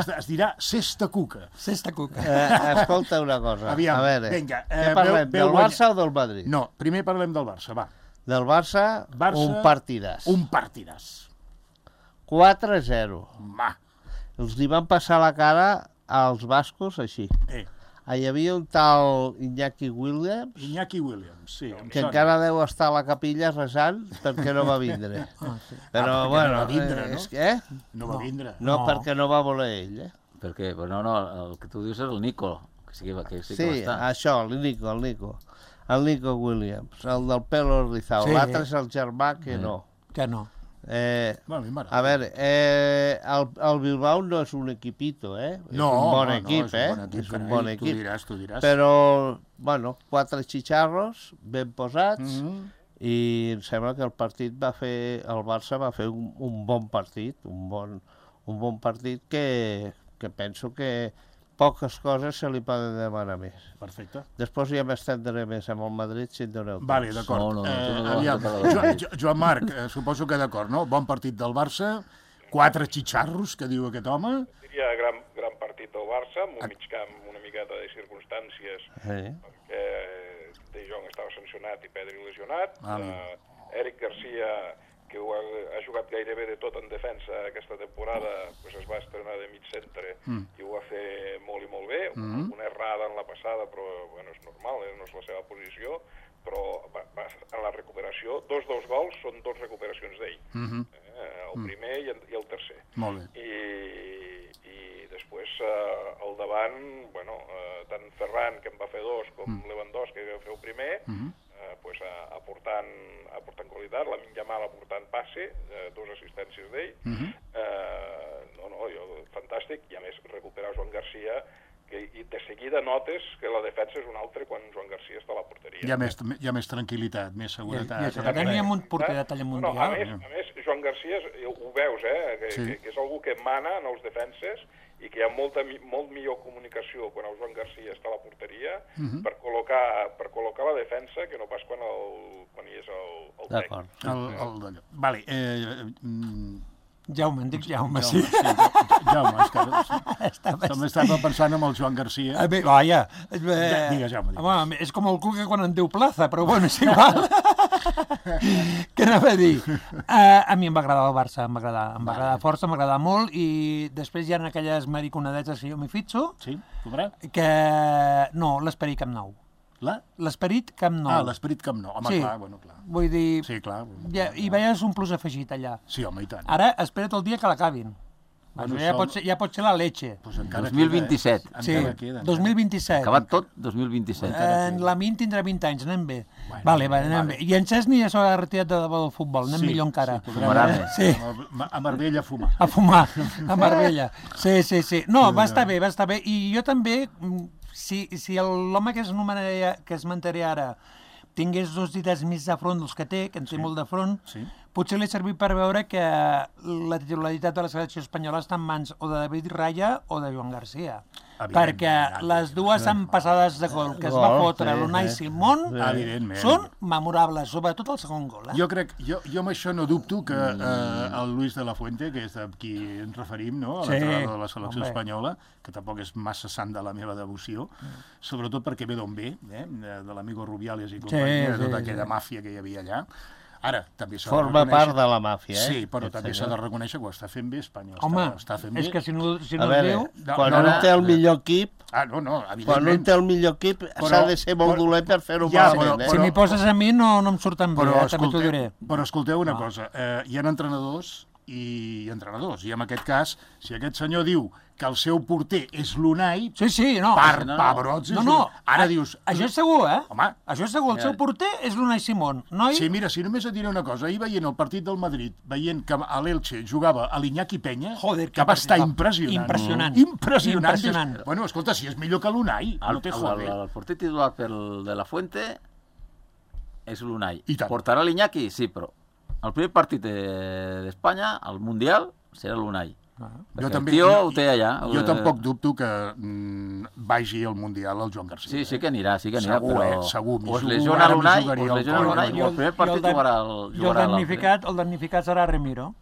es, es dirà Cesta Cuca. Cesta Cuca. Eh, escolta una cosa. Aviam, a veure, vinga. què Eh, parlem, veu- veu del guanya- Barça o del Madrid? No, primer parlem del Barça, va. Del Barça, Barça, un partidàs. Un partidàs. quatre a zero. Va. Els li van passar la cara als bascos així. Eh. Hi havia un tal Iñaki Williams, Iñaki Williams, sí. em que sona. encara deu estar a la capilla resant perquè no va vindre. Ah, sí. Però, Ah, perquè bueno, no va vindre, eh, no? és que, eh? No va vindre. No, No. perquè no va voler ell, eh? Per què? Pues no, no, el que tu dius és el Nico, que sí que, va- que, sí que Sí, va estar. això, el Nico, el Nico. El Nico Williams, el del pelo rizado. Sí. L'altre és el germà que Eh. no. Que no. Eh, Bueno, a mi m'agrada. a veure, eh, el, el Bilbao no és un equipito, eh? No, és un bon no, equip, no, és un eh? bon equip, és un carai, bon tu equip. diràs, tu diràs. Però, bueno, quatre xitxarros ben posats, Mhm. i em sembla que el partit va fer, el Barça va fer un, un bon partit, un bon, un bon partit que, que penso que poques coses se li poden demanar més. Perfecte. Després ja m'estendré més amb el Madrid si em doneu temps. Vale, d'acord. No, no, no, tu no eh, vas aviam, tocar la Jo, Jo- Joan Marc, eh, suposo que d'acord, no? Bon partit del Barça, quatre xitxarros, que diu aquest home. Diria gran, gran partit del Barça, amb un mig camp una miqueta de circumstàncies, Eh? perquè De Jong estava sancionat i Pedri lesionat. Ah, Uh, Eric Garcia, que ho ha, ha jugat gairebé de tot en defensa aquesta temporada, pues es va estrenar de mig centre Mm. i ho va fer molt i molt bé. Mm. Una errada en la passada, però bueno, és normal, eh? No és la seva posició, però va, va, en la recuperació, dos dels gols són dos recuperacions d'ell. Mhm. Eh, el primer i el, i el tercer. Molt bé. I, i després eh, al davant, bueno, eh, tant Ferran, que en va fer dos, com Mm. Lewandowski, que va fer el primer, Mhm. eh, pues, a- aportant, aportant qualitat, la Yamal aportant passe, eh, dos assistències d'ell. Mhm. eh, no, no, jo, fantàstic, i a més recuperar Joan Garcia, que, i de seguida notes que la defensa és un altre quan Joan Garcia està a la porteria. Hi ha més, hi ha més tranquil·litat, més I, seguretat. i això eh? que teníem un porter de talla No, a, mundial. més, a més, Joan Garcia, és- ho veus, eh, que, Sí. que, que és algú que mana en els defenses i que hi ha molta, mi- molt millor comunicació quan el Joan Garcia està a la porteria Mhm. per, col·locar, per col·locar la defensa que no pas quan, el, quan hi és el, el tècnic. D'acord. El, el d'allò. Vale, eh, mm, Jaume, em dic Jaume, sí. Jaume, sí, Jaume, és que Estava- també estava pensant en el Joan Garcia. A veure, vaja. Eh, Digues, Jaume, digues. Home, és com el Cuca quan en diu plaça, però bueno, és igual. Què anava a dir? Uh, a mi em va agradar el Barça, em va agradar, em va agradar força, em va agradar molt, i després hi ha aquelles mariconadetes que jo m'hi fitxo, Sí, podrà? que... No, l'esperit Camp Nou. La? L'esperit Camp Nou. Ah, l'esperit Camp Nou. Home, Sí. clar, bueno, clar. Vull dir, Sí, clar. ja, hi veies un plus afegit allà. Sí, home, i tant. Ara, espera't el dia que l'acabin. Bueno, Bueno, ja, això- pot ser, ja pot ser la leche. Pues encara dos mil vint-i-set. Queda, eh? Sí, Encara queda. dos mil vint-i-set. Acabat tot, dos mil vint-i-set. En la Min tindrà vint anys, anem bé. Bueno, vale, vale, anem vale. bé. I en Cesni ja s'ha retirat de debò del futbol, anem Sí, millor encara. sí, Fumarà podrà- més. Sí. A- A Marbella a fumar. A fumar, a Marbella. Sí, sí, sí. No, va estar bé, va estar bé. I jo també, mm, si, si el- l'home que es nomenaria, que es mantaré ara tingués dos dites més de front dels que té, que en té Sí. molt de front, Sí. potser li ha servit per veure que la titularitat de la selecció espanyola està en mans o de David Raya o de Joan Garcia. Evidentment, Perquè les dues empassades de gol que es va Gol, fotre sí, l'Unai sí. Simón Evidentment. són memorables, sobretot el segon gol. Eh? Jo crec, jo, jo amb això no dubto que eh, el Luis de la Fuente, que és de qui ens referim, no? a Sí, l'entrenador de la selecció home. espanyola, que tampoc és massa sant de la meva devoció, sobretot perquè ve d'on ve, eh? de, de l'amigo Rubiales i companyia, sí, de tota sí. aquella màfia que hi havia allà. Ara, també s'ha de Forma reconèixer... part de la màfia, eh? Sí, però Aquest també s'ha senyor. de reconèixer que ho està fent bé Espanya. Home, està, està fent és bé. que si no, si A no es veure, diu... No, quan no, un no. té el millor equip, Ah, no, no, quan un evidentment. té el millor equip Però- s'ha de ser molt però- dolent per fer-ho Ja, malament, però- eh? Si però- m'hi poses a mi no, no em surten bé, Però, eh? també t'ho escolteu, diré. però escolteu una Ah. cosa, eh, hi ha entrenadors i entrenadors, i en aquest cas, si aquest senyor diu que el seu porter és l'Unai, Sí, sí, no. per no, no. pebrots és No, no. l'Unai. Ara a- dius... Això és segur, eh? Home. Això és segur. El seu porter és l'Unai Simón, noi? Sí, mira, si només et diré una cosa, ahir veient el partit del Madrid, veient que a l'Elche jugava a l'Iñaki Penya, Joder, que va estar impressionant. impressionant. Impressionant. Impressionant. Impressionant. Dius, bueno, escolta, si és millor que l'Unai, El, no te el, jode. el, el porter titular pel de la Fuente és l'Unai. I tant. Portarà l'Iñaki? Sí, però el primer partit de- d'Espanya, al Mundial, serà l'Unai. Ah. Perquè Jo també, el tio jo, ho té allà. jo Eh, tampoc dubto que mm, vagi al Mundial el Joan Garcia. Sí, sí que anirà, sí que anirà, Segur, però... eh? Segur. m'hi O es jugo, lesiona ara m'hi l'Unai, jugaria o es el lesiona coll, l'Unai, no? i el primer I partit dan- jugarà el, I el jugarà l'altre. damnificat, el damnificat serà Remiro.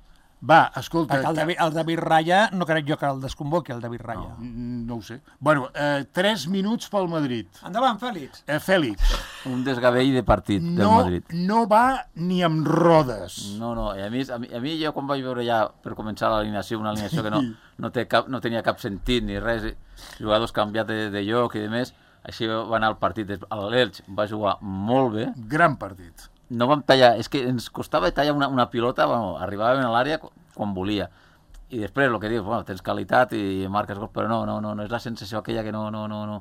Va, escolta... Perquè el David, el David Raya, no crec jo que el desconvoqui, el David Raya. No, no ho sé. Bueno, eh, tres minuts pel Madrid. Endavant, Fèlix. Eh, Fèlix. Un desgavell de partit del No, Madrid. no va ni amb rodes. No, no, i a mi, a mi, a mi jo quan vaig veure ja, per començar l'alineació, una alineació que no, no, té cap, no tenia cap sentit ni res, jugadors canviats de, de lloc i de més, així va anar el partit. L'Elx va jugar molt bé. Gran partit. No vam tallar, és que ens costava tallar una, una pilota, bueno, arribàvem a l'àrea quan volia. I després, el que dius, bueno, tens qualitat i marques gol, però no, no, no, no és la sensació aquella que no, no, no, no.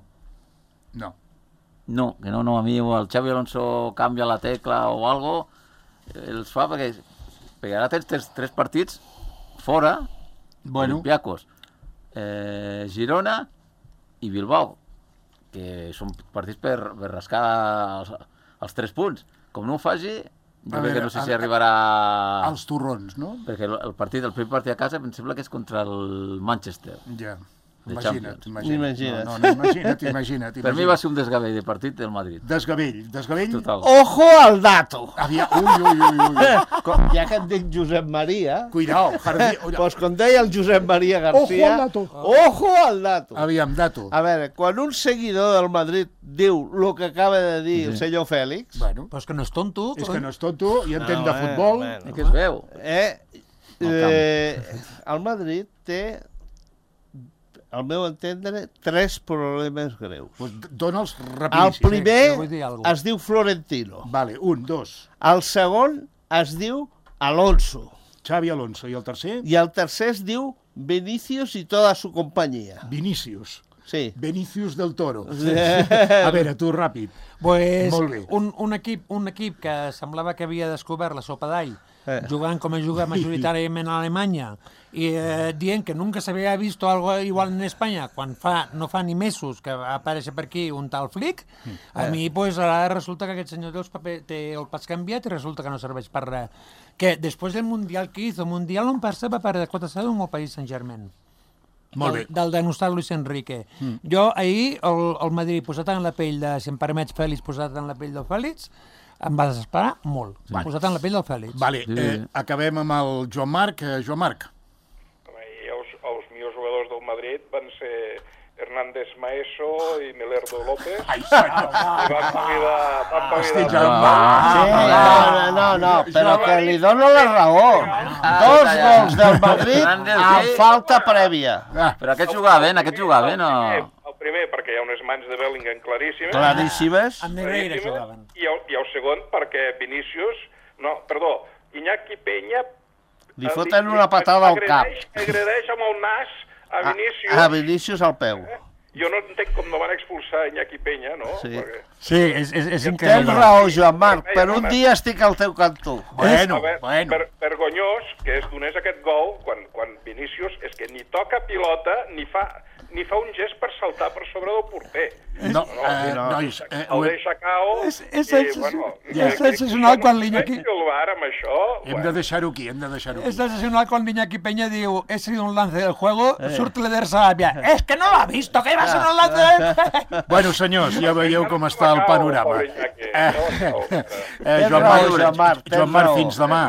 No. No, que no, no, a mi el Xavi Alonso canvia la tecla o algo, els fa perquè, perquè ara tens tres, tres partits fora, Bueno. Olympiacos, eh, Girona i Bilbao, que són partits per, per rascar els, els tres punts. Com no ho faci, jo crec que no sé si arribarà... Els torrons, no? Perquè el, el partit, el primer partit a casa, em sembla que és contra el Manchester. Ja. De Imagina't, Champions. imagina't. Imagina't. No, no, no, imagina't, imagina't. Per mi va ser un desgavell de partit del Madrid. Desgavell, desgavell... Total. Ojo al dato! Aviam, ui, ui, ui, ui. Com, ja que et dic Josep Maria... Cuidao, jardí... Pues com deia el Josep Maria García... Ojo al dato. Ojo al dato! Aviam, dato. A veure, quan un seguidor del Madrid diu el que acaba de dir el senyor Fèlix... Bueno, Però és que no és tonto. és que no és tonto i entén No, de eh, futbol. bueno. I que es veu. Eh, eh, el Madrid té, al meu entendre, tres problemes greus. Pues dona'ls El rapidíssim. primer jo vull dir alguna cosa. es diu Florentino. Vale, un, dos. El segon es diu Alonso. Xavi Alonso. I el tercer? I el tercer es diu Vinicius i tota su companyia. Vinícius. Sí. Vinicius del Toro. A veure, tu, ràpid. Pues, Molt bé. un, un, equip, un equip que semblava que havia descobert la sopa d'all, Eh. jugant com a juga majoritàriament a Alemanya, i eh, dient que nunca s'havia vist algo igual en Espanya, quan fa, no fa ni mesos que va aparèixer per aquí un tal Flick, a mi pues, ara resulta que aquest senyor té, els paper, té el pas canviat i resulta que no serveix per res. Que després del Mundial que hizo, Mundial on per se va perdre quatre a zero amb el Paris Saint-Germain. Molt del, bé. del denostat Luis Enrique. Mm. Jo ahir, el, el Madrid posat en la pell de, si em permets, Fèlix, posat en la pell del Fèlix, em va desesperar molt. Sí. Posat en la pell del Fèlix. Vale, eh, acabem amb el Joan Marc. Eh, Joan Marc. I els, els millors jugadors del Madrid van ser Hernández Maeso i Melerdo López. Ai, senyor. I van pavidar... Van Hosti, pavidar... Joan Sí, Marc. no, no, no, però que li dono la raó. Dos gols del Madrid amb falta prèvia. Ah, Però aquest jugaven, aquest jugaven, o... El primer, perquè hi ha unes mans de Bellingham claríssimes. Claríssimes. Amb Negreira claríssimes, jugaven. I el, I el segon, perquè Vinícius... No, perdó, Iñaki Peña... Li foten una patada al cap. agredeix- Agredeix amb el nas a A, Vinícius. a Vinícius al peu. Jo no entenc com no van expulsar Iñaki Peña, no? Sí. Perquè... Sí, és, és, és Tens increïble. raó, Joan Marc, per un dia estic al teu cantó. bueno, A veure, bueno. per, vergonyós que es donés aquest gol quan, quan Vinícius és que ni toca pilota ni fa, ni fa un gest per saltar per sobre del porter. No, No, eh, no. nois, eh, El deixa cao És- és i, sensacional. bueno... És sensacional quan l'Iñaki- El bar amb això... hem de deixar-ho aquí, hem de deixar-ho És aquí. sensacional quan Iñaki Peña diu he sido un lance del juego, eh. surt l'Eder Sarabia. És que no l'ha visto, que va ser un lance del juego. Bueno, senyors, ja veieu com està el panorama. Eh, Eh, Tens Joan raó, Marc, Joan Marc, tens Joan Marc, raó. fins demà.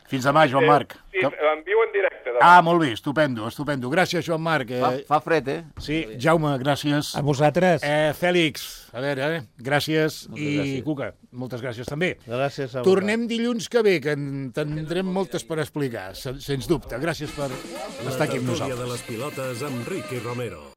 Fins demà, Joan Marc. Sí, en viu en directe. Demà. Ah, molt bé, estupendo, estupendo. Gràcies, Joan Marc. Fa, Eh, fa fred, eh? sí, Jaume, gràcies. A vosaltres. Eh, Fèlix, a veure, eh, gràcies. Moltes I gràcies. Cuca, moltes gràcies també. Gràcies a Tornem dilluns que ve, que en tindrem moltes per explicar, sen- sens dubte. Gràcies per estar aquí amb La tertúlia nosaltres. de les pilotes amb Ricky Romero.